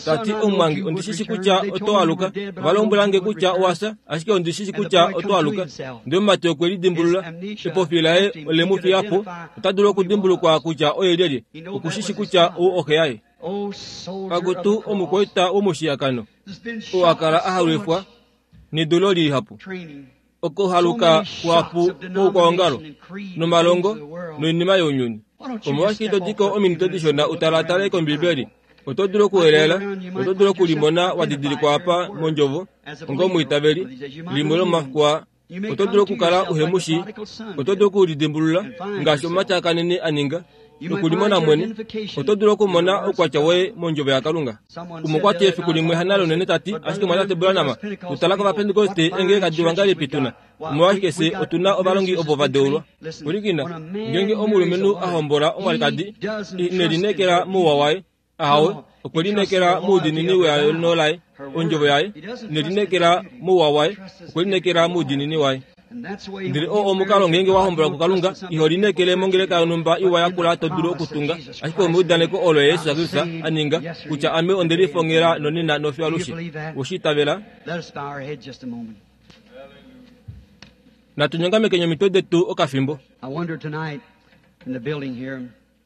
ta ti omumwange ondi shi shi kutya oto aluka ova lombwela nge kutya owa fya ashike ondi shi shi kutya oto aluka ndele omumati okwe lidimbulula epofi laye ole mu fiya po ota dulu okudimbulukwa kutya oye lyelye oku shi shi kutya ou oxe yaye Akutu omukwaita womushiyakano, oo a kala a halwifwa. Nedulo lihapu. Okuhaluka kuhapu kwoukwaongalo, nomalongo, noinima younyuni. Omolwashike ito di ko ominute dishona u talatale kOmbibeli? Oto dulu okuwelela, oto dulu okulimona wa didilikwa apa mOndjovo, onga omwiitaveli, limwe lomomafiku aa. Oto dulu okukala uhe mu shii. Oto dulu okulidimbulula ngaashi omumati a kanene a ninga, nokulimona mwene. Oto dulu okumona oukwatya woye mOndjovo yaKalunga. Umwe okwa ti efiku limwe hanale unene ta ti, Ashike Mwatate Branham, tu tala kOvapentekoste eengeleka diwa ngahelipi tu na? Omolwashike fye otu na ovalongi ovo va deulwa? Pwilikina, ngeenge omulumenhu a hombola omwalikadi, ine lineekela mouwa waye, Ahawe, okwe lineekela moudiinini weano laye, ondjovo yaye, ine lineekela mouwa waye, okwe lineekela moudiinini waye. Ndele oo omukalo ngeenge wa hombolwa kuKalunga, iho lineekele mongeleka yonhumba iwa yakula to dulu okutunga, ashike omeudaneko olo Jesus Kristus a ninga, kutya ame onde lifongela nonena nofiyo alushe. Owe shi itavela? Natu nyongamekeni omitwe detu okafimbo.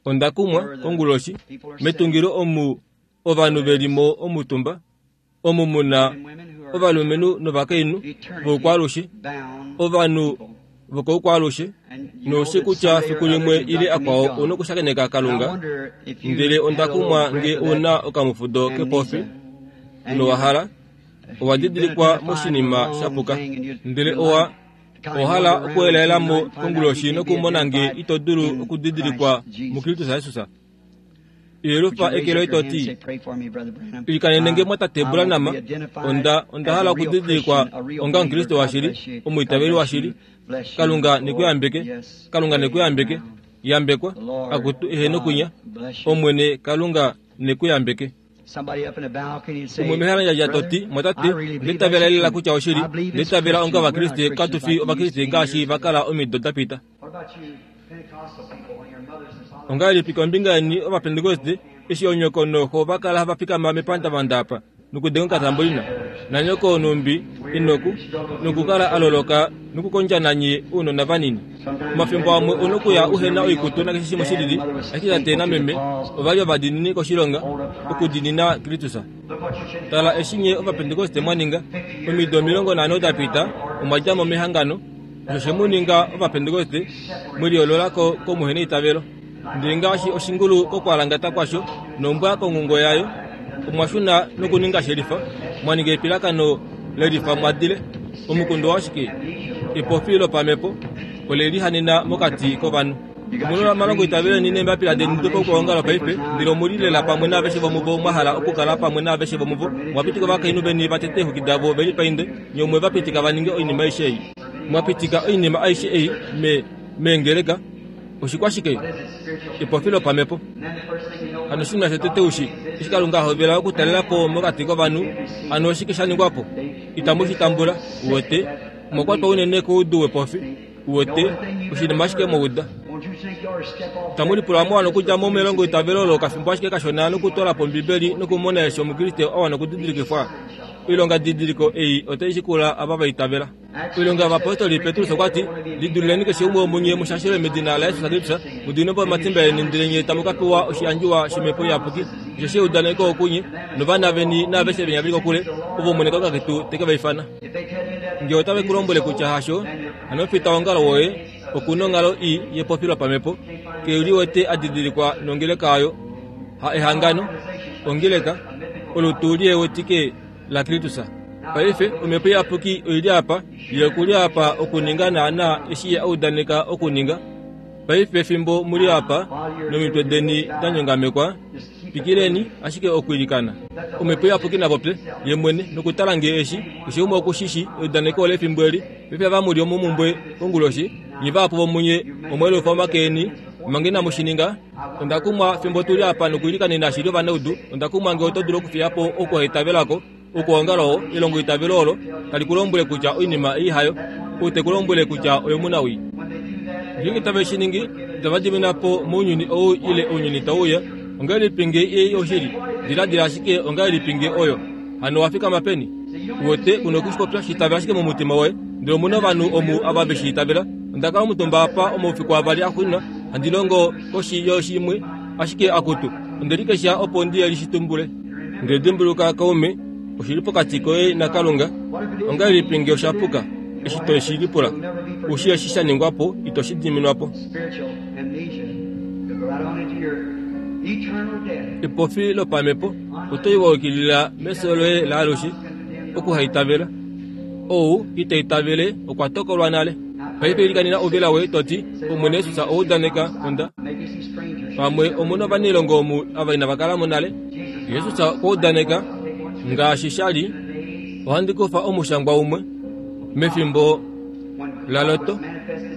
Onda kumwa konguloshi metungilo omu ovanhu ve li mo omutumba, omu mu na ovalumenhu novakainhu voukwaalushe, ovanhu vokoukwaalushe, noushi kutya fiku limwe ile akwao u nokushakeneka Kalunga. Ndele onda kumwa nge u na okamufudo kepofi nowa hala, owa didilikwa moshinima sha puka, ndele owa Owa hala okuelaela mo konguloshi nokumona nge ito dulu okudidilikwa muKristus Jesus? Yelufa eke loye to ti, Ilikanene nge mwatate Branham, onda, onda hala okudidilikwa onga Omukriste washili, omwiitaveli washili. Kalunga ne ku yambeke. Kalunga ne ku yambeke. Yambekwa, akutu eheno kwinya. Omwene Kalunga ne ku yambeke. Umwe mehalandjadja to ti, Mwatate, onda itavela lela kutya oshili. Onda itavela onga Ovakriste katu fi Ovakriste ngaashi va kala omido da pita. Ongahelipi kombinga yeni Ovapentekoste eshi onyoko nooxo va kala hava fikama mepandavanda apa nokudenga okatambolina, nanyoko nhumbi e noku, nokukala a loloka nokukondja nanye ounona vanini? Omafimbo amwe u nokuya uhe na oikutu nakeshe shimwe shi lili, ashike tate nameme ova li ovadiinini koshilonga okudiinina Kristus. Tala eshi nye Ovapentekoste mwa ninga. Omido 50 da pita, omwa dja mo mehangano. Osho she mu ninga Ovapentekoste, mwe liyoolola ko komuheneitavelo. Ndele ngaashi oshingulu kokwalangata kwasho nombwa konghungo yayo, omwa shuna nokuninga shelifa, mwa ninga epilakano lelifa mwa dile. Omukundu owashike? Epofi lopamhepo ole lihanena mokati kovanhu. Omu na omalongoitavelo eni neembapila deni dopokwoongala paife, ndele omu li lela pamwe naaveshe vomuvo mwa hala okukala pamwe naaveshe vomuvo. Mwa pitika ovakainhu veni va tete eexwiki davo ve lipainde, nye omwe va pitika va ninge oinima aishe ei. Mwa pitika oinima aishe ei me, meengeleka. Oshikwashike? Epofi lopamhepo. Hano oshinima shotete ushi, eshi Kalunga a hovela okutalela po mokati kovanhu, hano oshike sha ningwa po? Itamu shi tambula, uwete. Omwa kwatwa unene koudu wepofi, uwete, oshinima ashike mwa uda. Itamu lipula mwa wana okudja mo melongoitavelo olo okafimbo ashike kashona nokutwala po Ombibeli nokumona eshi Omukriste a wana okudidilikifwa? Oilongadidiliko ei otai shikula ava va itavela. Oilonga yOvapostoli, Petrus okwa ti, Lidululeni keshe umwe womunye mu shashelwe medina laJesus Kristus, mu diminwe po omatimba eni, ndele nye tamu ka pewa oshiyandjiwa shOmhepo Iyapuki. Osheshi eudaneko okunye, novana veni naaveshe venya ve li kokule, ovo Omwene Kalunga ketu te ke va ifana. Nge otave ku lombwele kutya hasho, hano omufitaongalo woye oku na onghalo ii yepofi lopamhepo, ke liwete a didilikwa nongeleka oyo, ha ehangano, ongeleka, olutu liewetike laKristus. Paife, Omhepo Iyapuki oi li apa, Ye oku li apa okuninga naanaa eshi Ye a udaneka okuninga. Paife fimbo mu li apa, nomitwe deni da nyongamekwa, twikileni ashike okwiilikana. Omhepo Iyapuki na popye, Ye mwene, nokutala nge eshi, keshe umwe oku shi shii, eudaneko olefimbo eli. Paife ava mu li omomumbwe konguloshi, nye vahapu vomunye omwa elufa omake eni, manga inamu shi ninga. Onda kumwa fimbo tu li apa nokwiilikanena shili ovanaudu, onda kumwa nge oto dulu okufiya po okuhaitavelako, Okwoongala oo, elongoitavelo olo tali ku lombwele kutya oinima ei hayo, ou te ku lombwele kutya oyomunawii. Ngeenge tave shi ningi, itava dimina po mounyuni ou ile ounyuni tau uya. Ongahelipi nge ei oshili? Diladila ashike ongahelipi nge oyo. Hano owa fikama peni? Uwete, ku noku shi popya, shi itavela ashike momutima woye. Ndele omu na ovanhu omu ava ve shi itavela. Onda kala omutumba apa omaufiku avali axuuninwa, handi longo koshi yoshi imwe, ashike akutu, onde likesha opo ndi shi tumbule. Ndele dimbuluka, kaume, Oshi li pokati koye naKalunga. Ongahelipi nge osha puka? Eshi to shi lipula, u shii eshi sha ningwa po, ito shi diminwa po. Epofi lopamhepo oto i wa yukilila mefyo loye laalushe, okuhaitavela. Ou ita itavele okwa tokolwa nale. Paife ilikanena ouvela woye to ti, Omwene Jesus owa udaneka, onda. Pamwe omu na ovanailongo omu ava inava kala mo nale. Jesus okwa udaneka, ngaashi sha li, ohandi kufa omushangwa umwe, mefimbo laLot,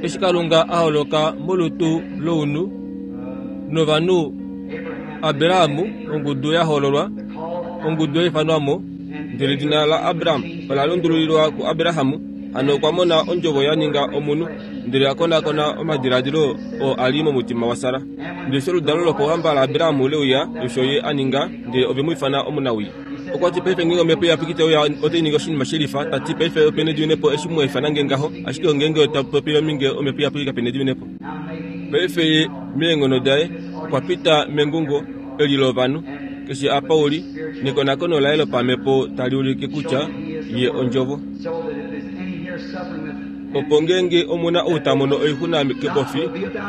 eshi Kalunga a holoka molutu lounhu novanhu Abraham, ongudu ya hoololwa, ongudu ya ifanwa mo, ndele edina laAbram ola lundululilwa kuAbraham, hano okwa mona ondjovo ya ninga omunhu, ndele a konakona omadiladilo oo a li momutima waSara. Ndele eshi oludalo lopouhamba laAbraham le uya, osho ye a ninga, ndele ove mu ifana omunawii. Okwa ti, Paife ngeenge omhepo iyapuki tai uya otai ningi oshinima she lifa, ta ti, Paife ope nediminepo eshi mwa ifana nge ngaho, ashike ngeenge otwa popile ominge omhepo iyapuki kape nediminepo. Paife ye, meenghono daye, okwa pita mengungo eli lovanhu, keshe apa u li, nekonakono laye lopamhepo tali ulike kutya ye Ondjovo. Opo ngeenge omu na ou ta mono oixuna kepofi,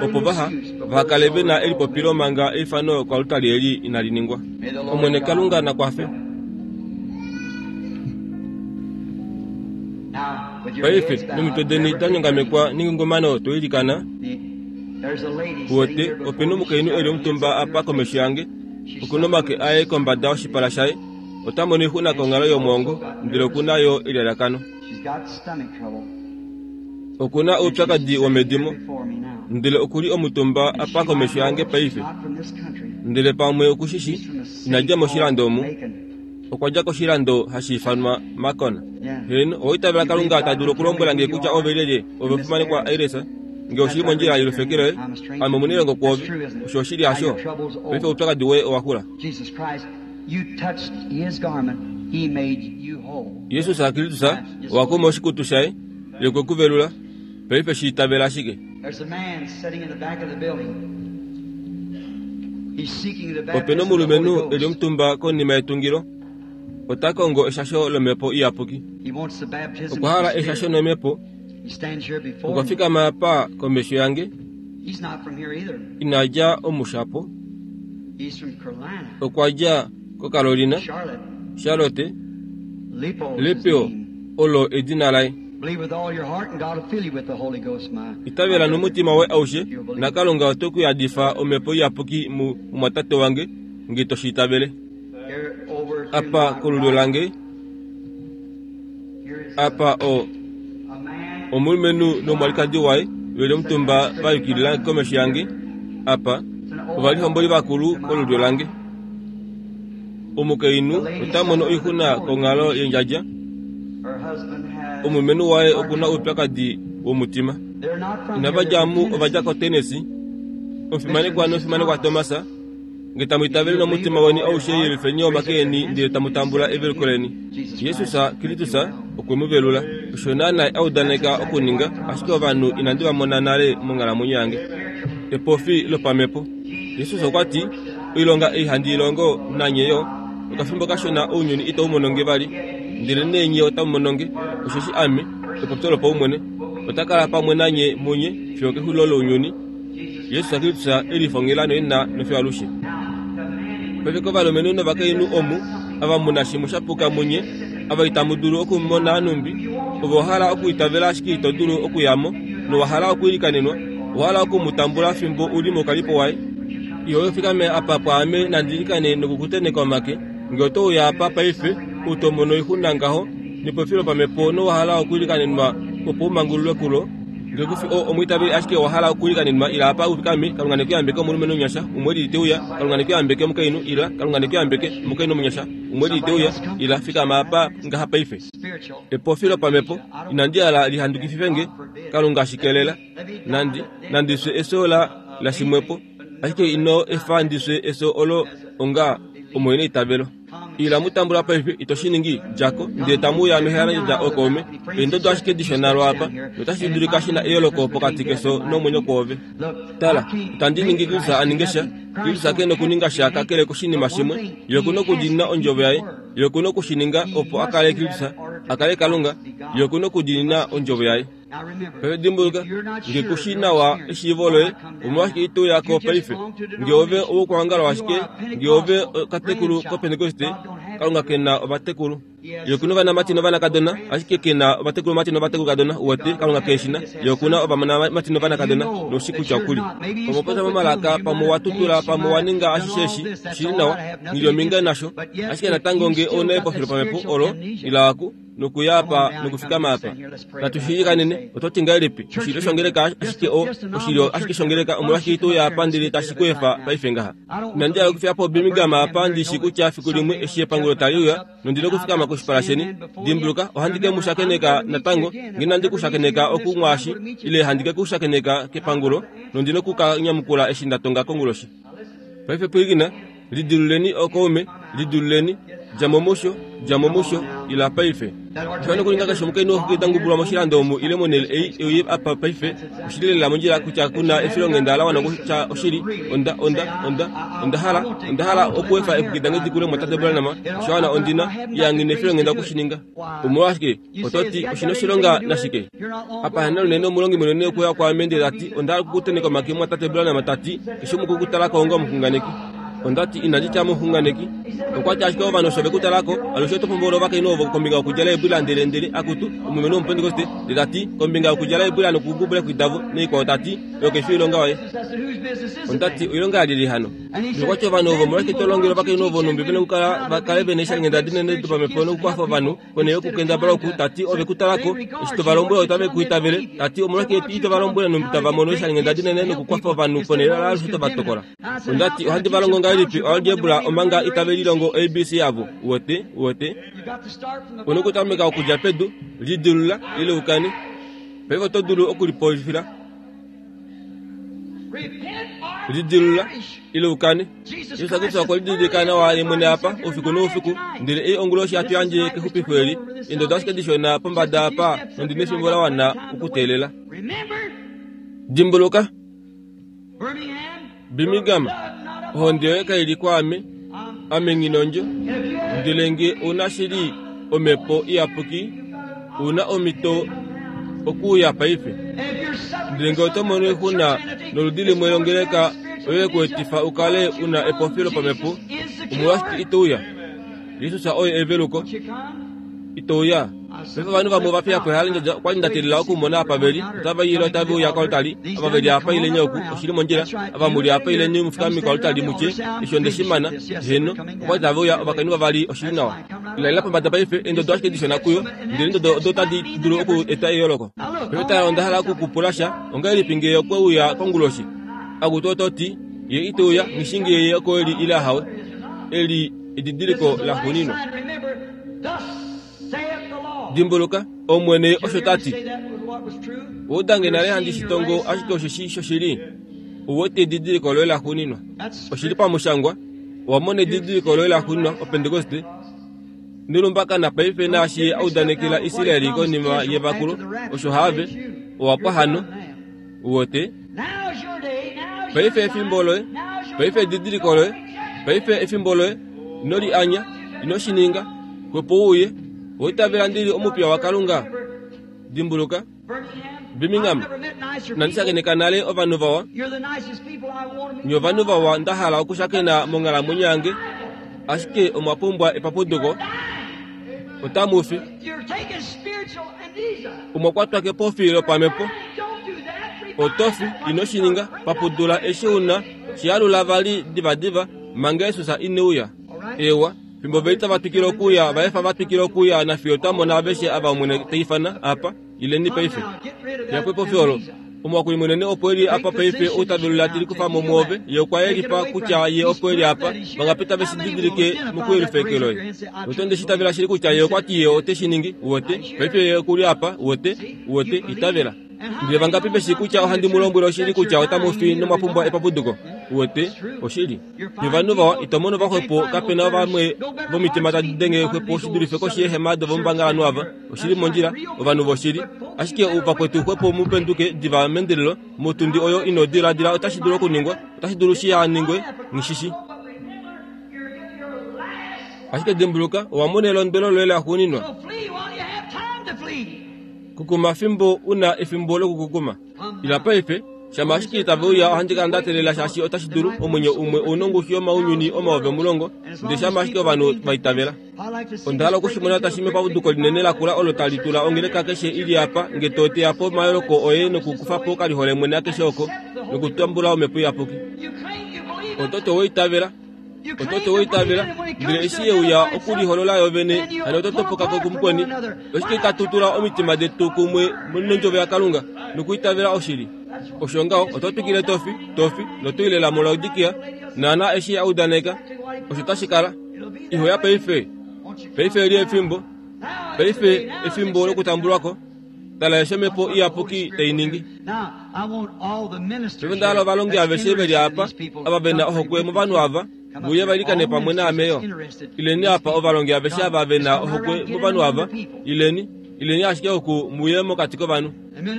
opo vaha, vaha kale ve na elipopilo manga eifano koaltari eli inali ningwa. Omwene Kalunga na kwafe. Paife, nomitwe deni da nyongamekwa nengungumano to ilikana, Uwete, ope nomukainhu e li omutumba apa komesho yange, oku nomake aye kombada yoshipala shaye. Ota mono oixuna konghalo yomwoongo, ndele oku na yo elalakano. Oku na oupyakadi womedimo, ndele oku li omutumba apa komesho yange paife. Ndele pamwe oku shi shi, ina dja moshilando omu. Okwa dja koshilando hashi ifanwa Macon. Heeno, owa itavela Kalunga ta dulu okulombwela nge kutya ove lyelye, ove omufimanekwa Aires? Nge oshi li mondjila yolufeke loye, ame omunailongo kwoove. Osho oshili, hasho? Paife oupyakadi woye owa xula. Jesus Kristus owa kuma oshikutu shaye, ye okwe ku velula. Paife shi itavela ashike. Ope na omulumenhu e li omutumba konima yetungilo. Ota kongo eshasho lOmhepo Iyapuki. Okwa hala eshasho nOmhepo. Okwa fikama apa komesho yange. Ina dja omushapo. Okwa dja koCarolina, Charlotte. Lepeo olo edina laye. Itavela nomutima woye aushe, naKalunga ote ku yadifa Omhepo Iyapuki mumwatate wange, nge to shi itavele. Apa kolulyo lange, apa o omulumenhu nomwalikadi waye ve li omutumba va yukilila komesho yange, apa ovalihomboli vakulu kolulyo lange. Omukainhu ota mono oixuna konghalo yendjadja. Omulumenhu waye oku na oupyakadi womutima. Inava dja mu, ova dja koTennessee. Omufimanekwa nomufimanekwa Thomas, nge tamu itavele nomutima weni aushe yelifeni omake eni ndele tamu tambula eveluko leni. Jesus Kristus okwe mu velula. Osho naanaa a udaneka okuninga, ashike ovanhu inandi va mona nale monghalamwenyo yange. Epofi lopamhepo. Jesus okwa ti, Oilonga ei handi i longo, nanye yo. Okafimbo kashona ounyuni itau mono nge vali, ndelenee nye otamu mono nge, osheshi Ame, epopyo lopaumwene, ota kala pamwe nanye munye fiyo okexulilo lounyuni. Jesus Kristus e lifongela noina nofiyo alushe. Paife kovalumenhu novakainhu omu, ava mu na shimwe sha puka munye, ava itamu dulu okumona nhumbi, ove owa hala okwiitavela ashike ito dulu okuya mo, nowa hala okwiilikanenwa, owa hala oku mu tambula fimbo u li moukalipo waye. Iho fikame apa pwaame nandi ilikane nokukuteneka omake. Nge oto uya apa paife, ou to mono oixuna ngaho, nepopilo pamhepo nowa hala okwiilikanenwa opo u mangululwe kulo, Nge ku fi o, omwiitaveli ashike owa hala okuilikanenwa, ila apa u fikame, Kalunga ne ku yambeke omulumenhu omunyasha, umwe elili te uya, Kalunga ne ku yambeke omukainhu, ila, Kalunga ne ku yambeke, omukainhu omunyasha, umwe elili te uya, ila, fikama apa ngaha paife. Epofi lopamhepo, inandi hala li handukifife nge, Kalunga shi kelela. Nandi, nandi fye efyo la, la shimwepo, ashike ino efa ndi fye efyo olo onga omuheneitavelo. Ila mu tambula paife, ito shi ningi, dja ko, ndele tamu uya mehalandjadja ookaume. Eendodo ashike dishona lwaapa, notashi dulika shi na eyooloko pokati kefyo nomwenyo kwoove. Tala, itandi ningi Kristus a ninge sha. Kristus ke nokuninga sha kakele koshinima shimwe. Ye oku nokudiinina Ondjovo Yaye. Ye oku noku shi ninga opo a kale Kristus, a kale Kalunga. Ye oku nokudiinina Ondjovo Yaye. Paife dimbuluka, nge ku shii nawa eshiivo loye, omolwashike ito uya ko paife? Nge ove owokuhangalwa ashike, nge ove okatekulu koPentekoste, Kalunga ke na ovatekulu. Ye oku na ovanamati novanakadona, ashike ke na ovatekulumati novatekulukadona. Uwete, Kalunga ke shi na. Ye oku na ovanamati novanakadona, noushi kutya oku li. Pamwe opopya momalaka, pamwe owa tutula, pamwe owa ninga ashishe eshi, shi li nawa, nghi li ominga nasho. Ashike natango nge ou na epofilo pamhepo olo, ila oku. Nokuya apa nokufikama apa. Natu shi ilikanene. Oto ti ngahelipi? Oshilyo shongeleka ashike o, oshilyo ashike shongeleka, omolwashike ito uya apa ndele tashi ku efa paife ngaha? Inandi hala okufiya po Birmingham apa ndi shi kutya fiku limwe eshi epangulo tali uya, nondi nokufikama koshipala sheni. Dimbuluka, ohandi ke mu shakeneka natango, nge inandi ku shakeneka oku mwaashi, ile handi ke ku shakeneka kepangulo, nondi noku ka nyamukula eshi nda tonga konguloshi. Paife pwilikina, Lidiluleni okaume, lidiluleni, dja mo musho, dja mo musho, ila paife. Osha nokuninga keshe omukainhu oxuki ta ngubulwa moshilando omu ile monhele ei e uye apa paife. Oshi li lela mondjila kutya ku na efilonghenda la wana okutya oshili. Onda, onda, onda, onda hala, onda hala okuefa eexwiki dange di kule mwatate Branham, osha wana ondi na, iya nghi na efilonghenda oku shi ninga. Omolwashike, oto ti, oshi na oshilonga nashike? Apa hena unene omulongi munene okwe uya kwaame ndele ta ti, Onda hala oku ku tenheka omake mumwatate Branham, ta ti, keshe umwe okwe ku tala ko onga omuxunganeki. Onda ti, Inandi tya muxunganeki. Okwa ti, Ashike ovanhu osho ve ku tala ko, alushe oto pombola ovakainhu ovo kombinga yokudjala eebwila ndele, ndele, akutu, omulumenhu wOmupentekoste, ndele ta ti, kombinga yokudjala eebwila nokungubula eexwiki davo, naikwao, ta ti, Oyo kai fi oilonga yoye. Onda ti, Oilonga yalyelye hano? Nokwa ti ovanhu ovo, Omolwashike to longele ovakainhu ovo nhumbi ve na okukala va kale ve na eeshalinghenda dinene dopamhepo nokukwafa ovanhu, ponhele yokukendabala oku, ta ti, ove ku tala ko, eshi to va lombwele otave ku itavele, ta ti, omolwashike ito va lombwele nhumbi tava mono eeshalinghenda dinene nokukwafa ovanhu, ponhele yaalushe to va tokola? Onda ti, Ohandi va longo ngahelipi oalgebra omanga itave lilongo ABC yavo? Uwete? Uwete? U na okutameka okudja pedu, lidilula, ile u kane. Paife oto dulu okulipolifila. Lidilula ile u kane. Jesus Kristus okwe lididilika nawa ye mwene apa oufiku noufiku, ndele ei onguloshi hatu yandje kexupifo eli. Eendodo ashike dishona pombada apa, nondi nefimbo la wana okuteelela. Dimbuluka, Birmingham, ohonde yoye kai li kwaame, ame nghi nondjo. Ndele nge ou na shili Omhepo Iyapuki, ou na omhito okuuya paife. Ndele nge oto mono oixuna noludi limwe longeleka oyo ye ku etifa u kale u na epofilo pamhepo, omolwashike ito uya? Jesus oye eveluko. Ito uya? Paife ovanhu vamwe ova fiya po ehalandjadja. Okwa li nda teelela okumona apa ve li. Otava i ile otave uya koaltari. Ava ve li apa ileni oku, oshi li mondjila. Ava mu li apa ileni mu fikame koaltari mu tye, Eshi onde shi mana. Heeno. Okwa li tave uya, ovakainhu vavali, oshi li nawa. Ila pombada paife, eendodo ashike dishona kuyo, ndele eendodo odo otadi dulu oku eta eyooloko. Paife tala, onda hala oku ku pula sha. Ongahelipi nge okwe uya konguloshi? Akutu oto ti, Ye ite uya, nghi shii nge ye oko e li ile ahawe. Eli edidiliko laxuuninwa. Dimbuluka, Omwene osho ta ti. Owa uda nge nale handi shi tongo, ashike osheshi shoshili. Ou wete edidiliko loye laxuuninwa. Oshi li pamushangwa. Owa mona edidiliko loye laxuuninwa, Opentekoste. Nelumbakana paife naashi ye a udanekela Israel konima yevakulo, osho haave. Owa pwa hano. Uwete? Paife efimbo loye. Paife edidiliko loye. Paife efimbo loye. Ino li anya. Ino shi ninga. Xwepo u uye. Owa itavela ndi li omupiya waKalunga? Dimbuluka, Birmingham, inandi shakeneka nale ovanhu vawa. Nye ovanhu vawa nda hala okushakena monghalamwenyo yange, ashike omwa pumbwa epapuduko. Otamu fi. Omwa kwatwa kepofi lopamhepo. Oto fi, ino shi ninga. Papudula eshi u na. Shi alula vali divadiva, manga Jesus ine uya. Eewa. Fimbo ve li tava twikile okuuya, va efa va twikile okuuya nafiyo twa mona aveshe ava Omwene ta ifana apa. Ileni paife. Fiya po epofi olo. Omuhakuli munene opo e li apa paife ou ta velula te likufa mo mwoove. Ye okwa yelifa kutya ye opo e li apa. Vangapi tave shi didilike mokuyelifa eke loye? Uwete, onde shi itavela shili kutya ye okwa ti ye ote shi ningi. Uwete? Paife ye oku li apa. Uwete? Uwete? Itavela. Ndele vangapi ve shii kutya ohandi mu lombwele oshili kutya otamu fi nomwa pumbwa epapuduko? Uwete? Oshili. Nye ovanhu vawa ito mono vaxwepo kape na vamwe vomitima tadi denge xwepo shi dulife koshi yeehema dovombangalanhu ava. Oshili mondjila, ovanhu voshili. Ashike vakwetu xwepo mu penduke diva meendelelo motundi oyo ino diladila otashi dulu okuningwa, otashi dulu shi ha ningwe, nghi shi shi. Ashike dimbuluka, owa mona elondwelo loye laxuuninwa. Kukuma fimbo u na efimbo lokukukuma. Ila paife, shama ashike itave uya ohandi kala nda teelela shaashi otashi dulu, omwenyo umwe ou nongushu yomaunyuni 10,000, ndele shama ashike ovanhu va itavela. Onda hala oku shi mona tashi mepapuduko linene lakula olo tali tula ongeleka keshe i li apa, nge to teya po omayooloko oye nokukufa po okaliholemwene akeshe oko, nokutambula Omhepo Iyapuki. Oto ti owa itavela. Oto ti owa itavela, ndele eshi ye uya okuliholola yo vene, hano oto topoka ko kumukweni. Oshike itatu tula omitima detu kumwe nOndjovo yaKalunga, nokuitavela oshili? Osho ngaho, oto twikile to fi, to fi, noto i lela muLaodikia, naana eshi a udaneka, osho tashi kala. Iho ya paife. Paife eli efimbo. Paife efimbo lokutambulwa ko. Tala eshi Omhepo Iyapuki tai ningi. Paife onda hala ovalongi aveshe ve li apa, ava ve na ohokwe movanhu ava, ve uye va ilikane pamwe naame yo. Ileni apa, ovalongi aveshe ava ve na ohokwe movanhu ava, ileni, ileni ashike oku mu uye mokati kovanhu.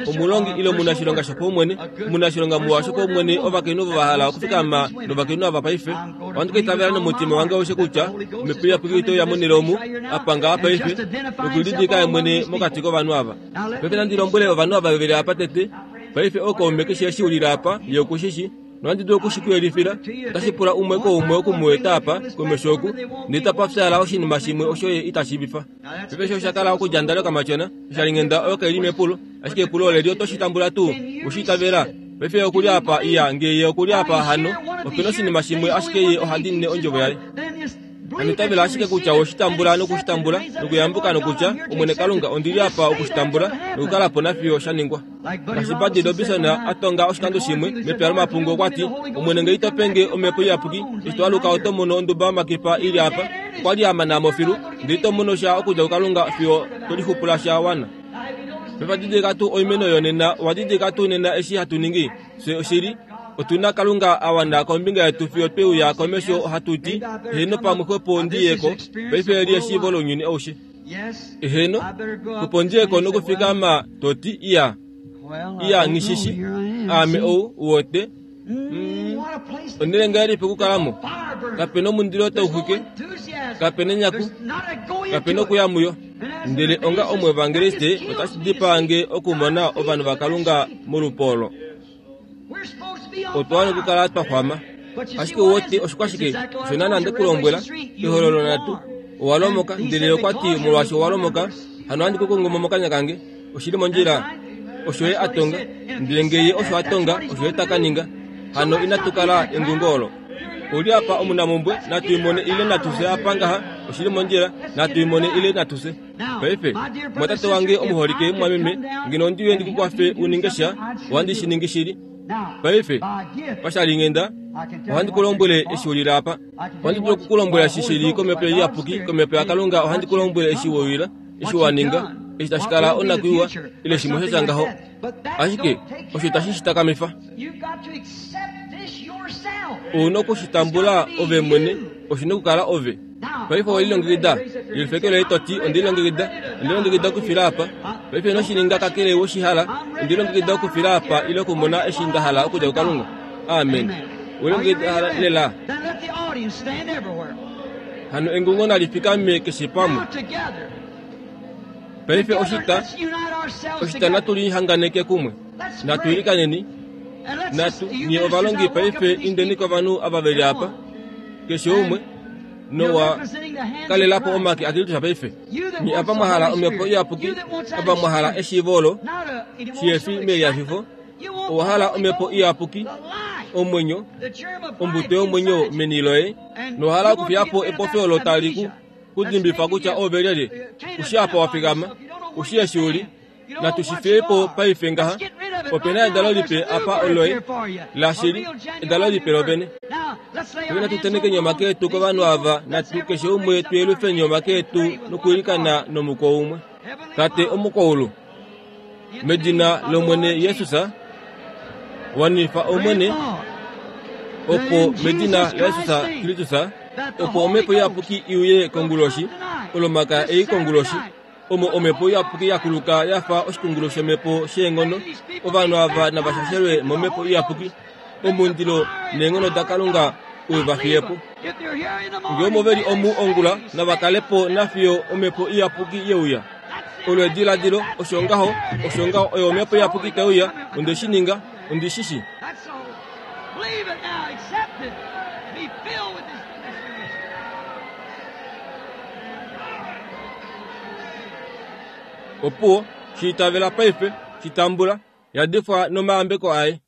Omulongi ile omunashilonga shopaumwene, omunashilonga muwa shopaumwene, ovakainhu ovo va hala okufikama novakainhu ava paife, ohandi ka itavela nomutima wange aushe kutya Omhepo Iyapuki oite uya monhele omu, apa ngaha paife, nokulidilika ye mwene mokati kovanhu ava. Paife nandi lombwele ovanhu ava ve li apa tete. Paife ookaume keshe eshi u lile apa, ye oku shi shi, nohandi dulu oku shi ku yelifila. Otashi pula umwe koumwe oku mu eta apa, komesho oku, ndele tapa fyaala oshinima shimwe osho ye ita shiivifa. Paife eshi osha kala okudja ndale okamatyona, oshalinghenda oyo kai li mepulo, ashike epulo oleli oto shi tambula tuu? Owe shi itavela? Paife ye oku li apa, iya, nge ye oku li apa hano, ope na oshinima shimwe ashike ye oha diinine ondjovo yaye. Hano itavela ashike kutya owe shi tambula noku shi tambula, nokuyambuka nokutya, Omwene Kalunga, ondi li apa oku shi tambula, nokukala po nafiyo sha ningwa. Ngaashi Buddy Robinson a tonga oshikando shimwe mepya lomapungu okwa ti, Omwene nge ito pe nge Omhepo Iyapuki, eshi to aluka oto mono onduba yomakipa i li apa. Okwa li a mana mo filu, ndele ito mono sha okudja kuKalunga fiyo to lixupula sha wana. Paife didilika tuu oimeno yonena, owa didilika tuu nena eshi hatu ningi? Fye oshili, otu na Kalunga a wana kombinga yetu fiyo twe uya komesho ohatu ti, Heeno pamwe xwepo ndi ye ko, paife eli eshiivo lounyuni aushe. Eheno, xwepo ndi ye ko nokufikama to ti, Iya, iya, nghi shi shi, aame ou, uwete. Mm, onhele ngahelipi okukala mo? Kape na omundilo tau xwike, kape na enyaku, kape na okuya muyo. Ndele onga omuevangeliste, otashi dipaa nge okumona ovanhu vaKalunga molupo olo. Otwa wana okukala twa xwama. Ashike uwete oshikwashike? Osho naana nde ku lombwela, ehololo nhatu. Owa lomoka, ndele ye okwa ti, molwaashi owa lomoka, hano ohandi ku kongo mo mokanya kange. Oshi li mondjila. Osho ye a tonga. Ndele nge ye osho a tonga, osho ye ta ka ninga. Hano inatu kala engungo olo. Oli apa omunamumbwe, natu i mone ile natu fye apa ngaha. Oshi li mondjila, natu i mone ile natu fye. Paife, mumwatate wange omuholike, mumwameme, ngeno ondi uye ndi ku kwafe u ninge sha, ohandi shi ningi shili. Paife, pashalinghenda, ohandi ku lombwele eshi u lile apa. Ohandi dulu oku ku lombwela eshi shi li kOmhepo Iyapuki, kOmhepo yaKalunga, ohandi ku lombwele eshi we uyila, eshi wa ninga, eshi tashi kala onakwiiwa, ile shimwe sha tya ngaho. Ashike osho itashi shi takamifa. Ou na oku shi tambula ove mwene, oshi na okukala ove. Paife owe lilongekida? Yelifa eke loye to ti, Onde lilongekida. Onde lilongekida okufila apa. Paife ino shi ninga kakele we shi hala. Onde lilongekida okufila apa ile okumona eshi nda hala okudja kuKalunga. Amen. Owe lilongekida lela? Hano engungo nali fikame keshe pamwe. Paife oshita, oshita natu lihanganeke kumwe. Natu ilikaneni. Natu, nye ovalongi paife indeni kovanhu ava ve li apa. Keshe umwe, nowa kalela po omake aKristus paife. Nye apa mwa hala Omhepo Iyapuki, ava mwa hala eshiivo olo, shihefi melihafifo, owa hala Omhepo Iyapuki, omwenyo, ombuto yomwenyo meni loye, nowa hala okufiya po epofi olo tali ku ku dimbifa kutya ove lyelye, u shii apa wa fikama, u shii eshi u li. Natu shi fiye po paife ngaha. Ope na edalo lipe apa oloye, lashili, edalo lipe lovene. Paife natu tenekeni omake etu kovanhu ava, natu keshe umwe tu yelufeni omake etu nokuilikana nomuko umwe. Tate omukwaulu. Medina lOmwene Jesus, wanifa Omwene, opo medina laJesus Kristus, opo Omhepo Iyapuki i uye konguloshi, Olomakaya ei konguloshi, omo Omhepo Iyapuki ya kuluka ya fa oshikungulu shomhepo sheenghono, ovanhu ava nava shashelwe mOmhepo Iyapuki, omundilo neenghono daKalunga u va fiye po. Ngee omo ve li omu ongula, nava kale po nafiyo Omhepo Iyapuki ye uya. Olo ediladilo, osho ngaho, osho ngaho, oyo Omhepo Iyapuki tai uya, onde shi ninga, ondi shi shi. Opuwo, shi itavela paife, shi tambula, yadifwa nomayambeko aye.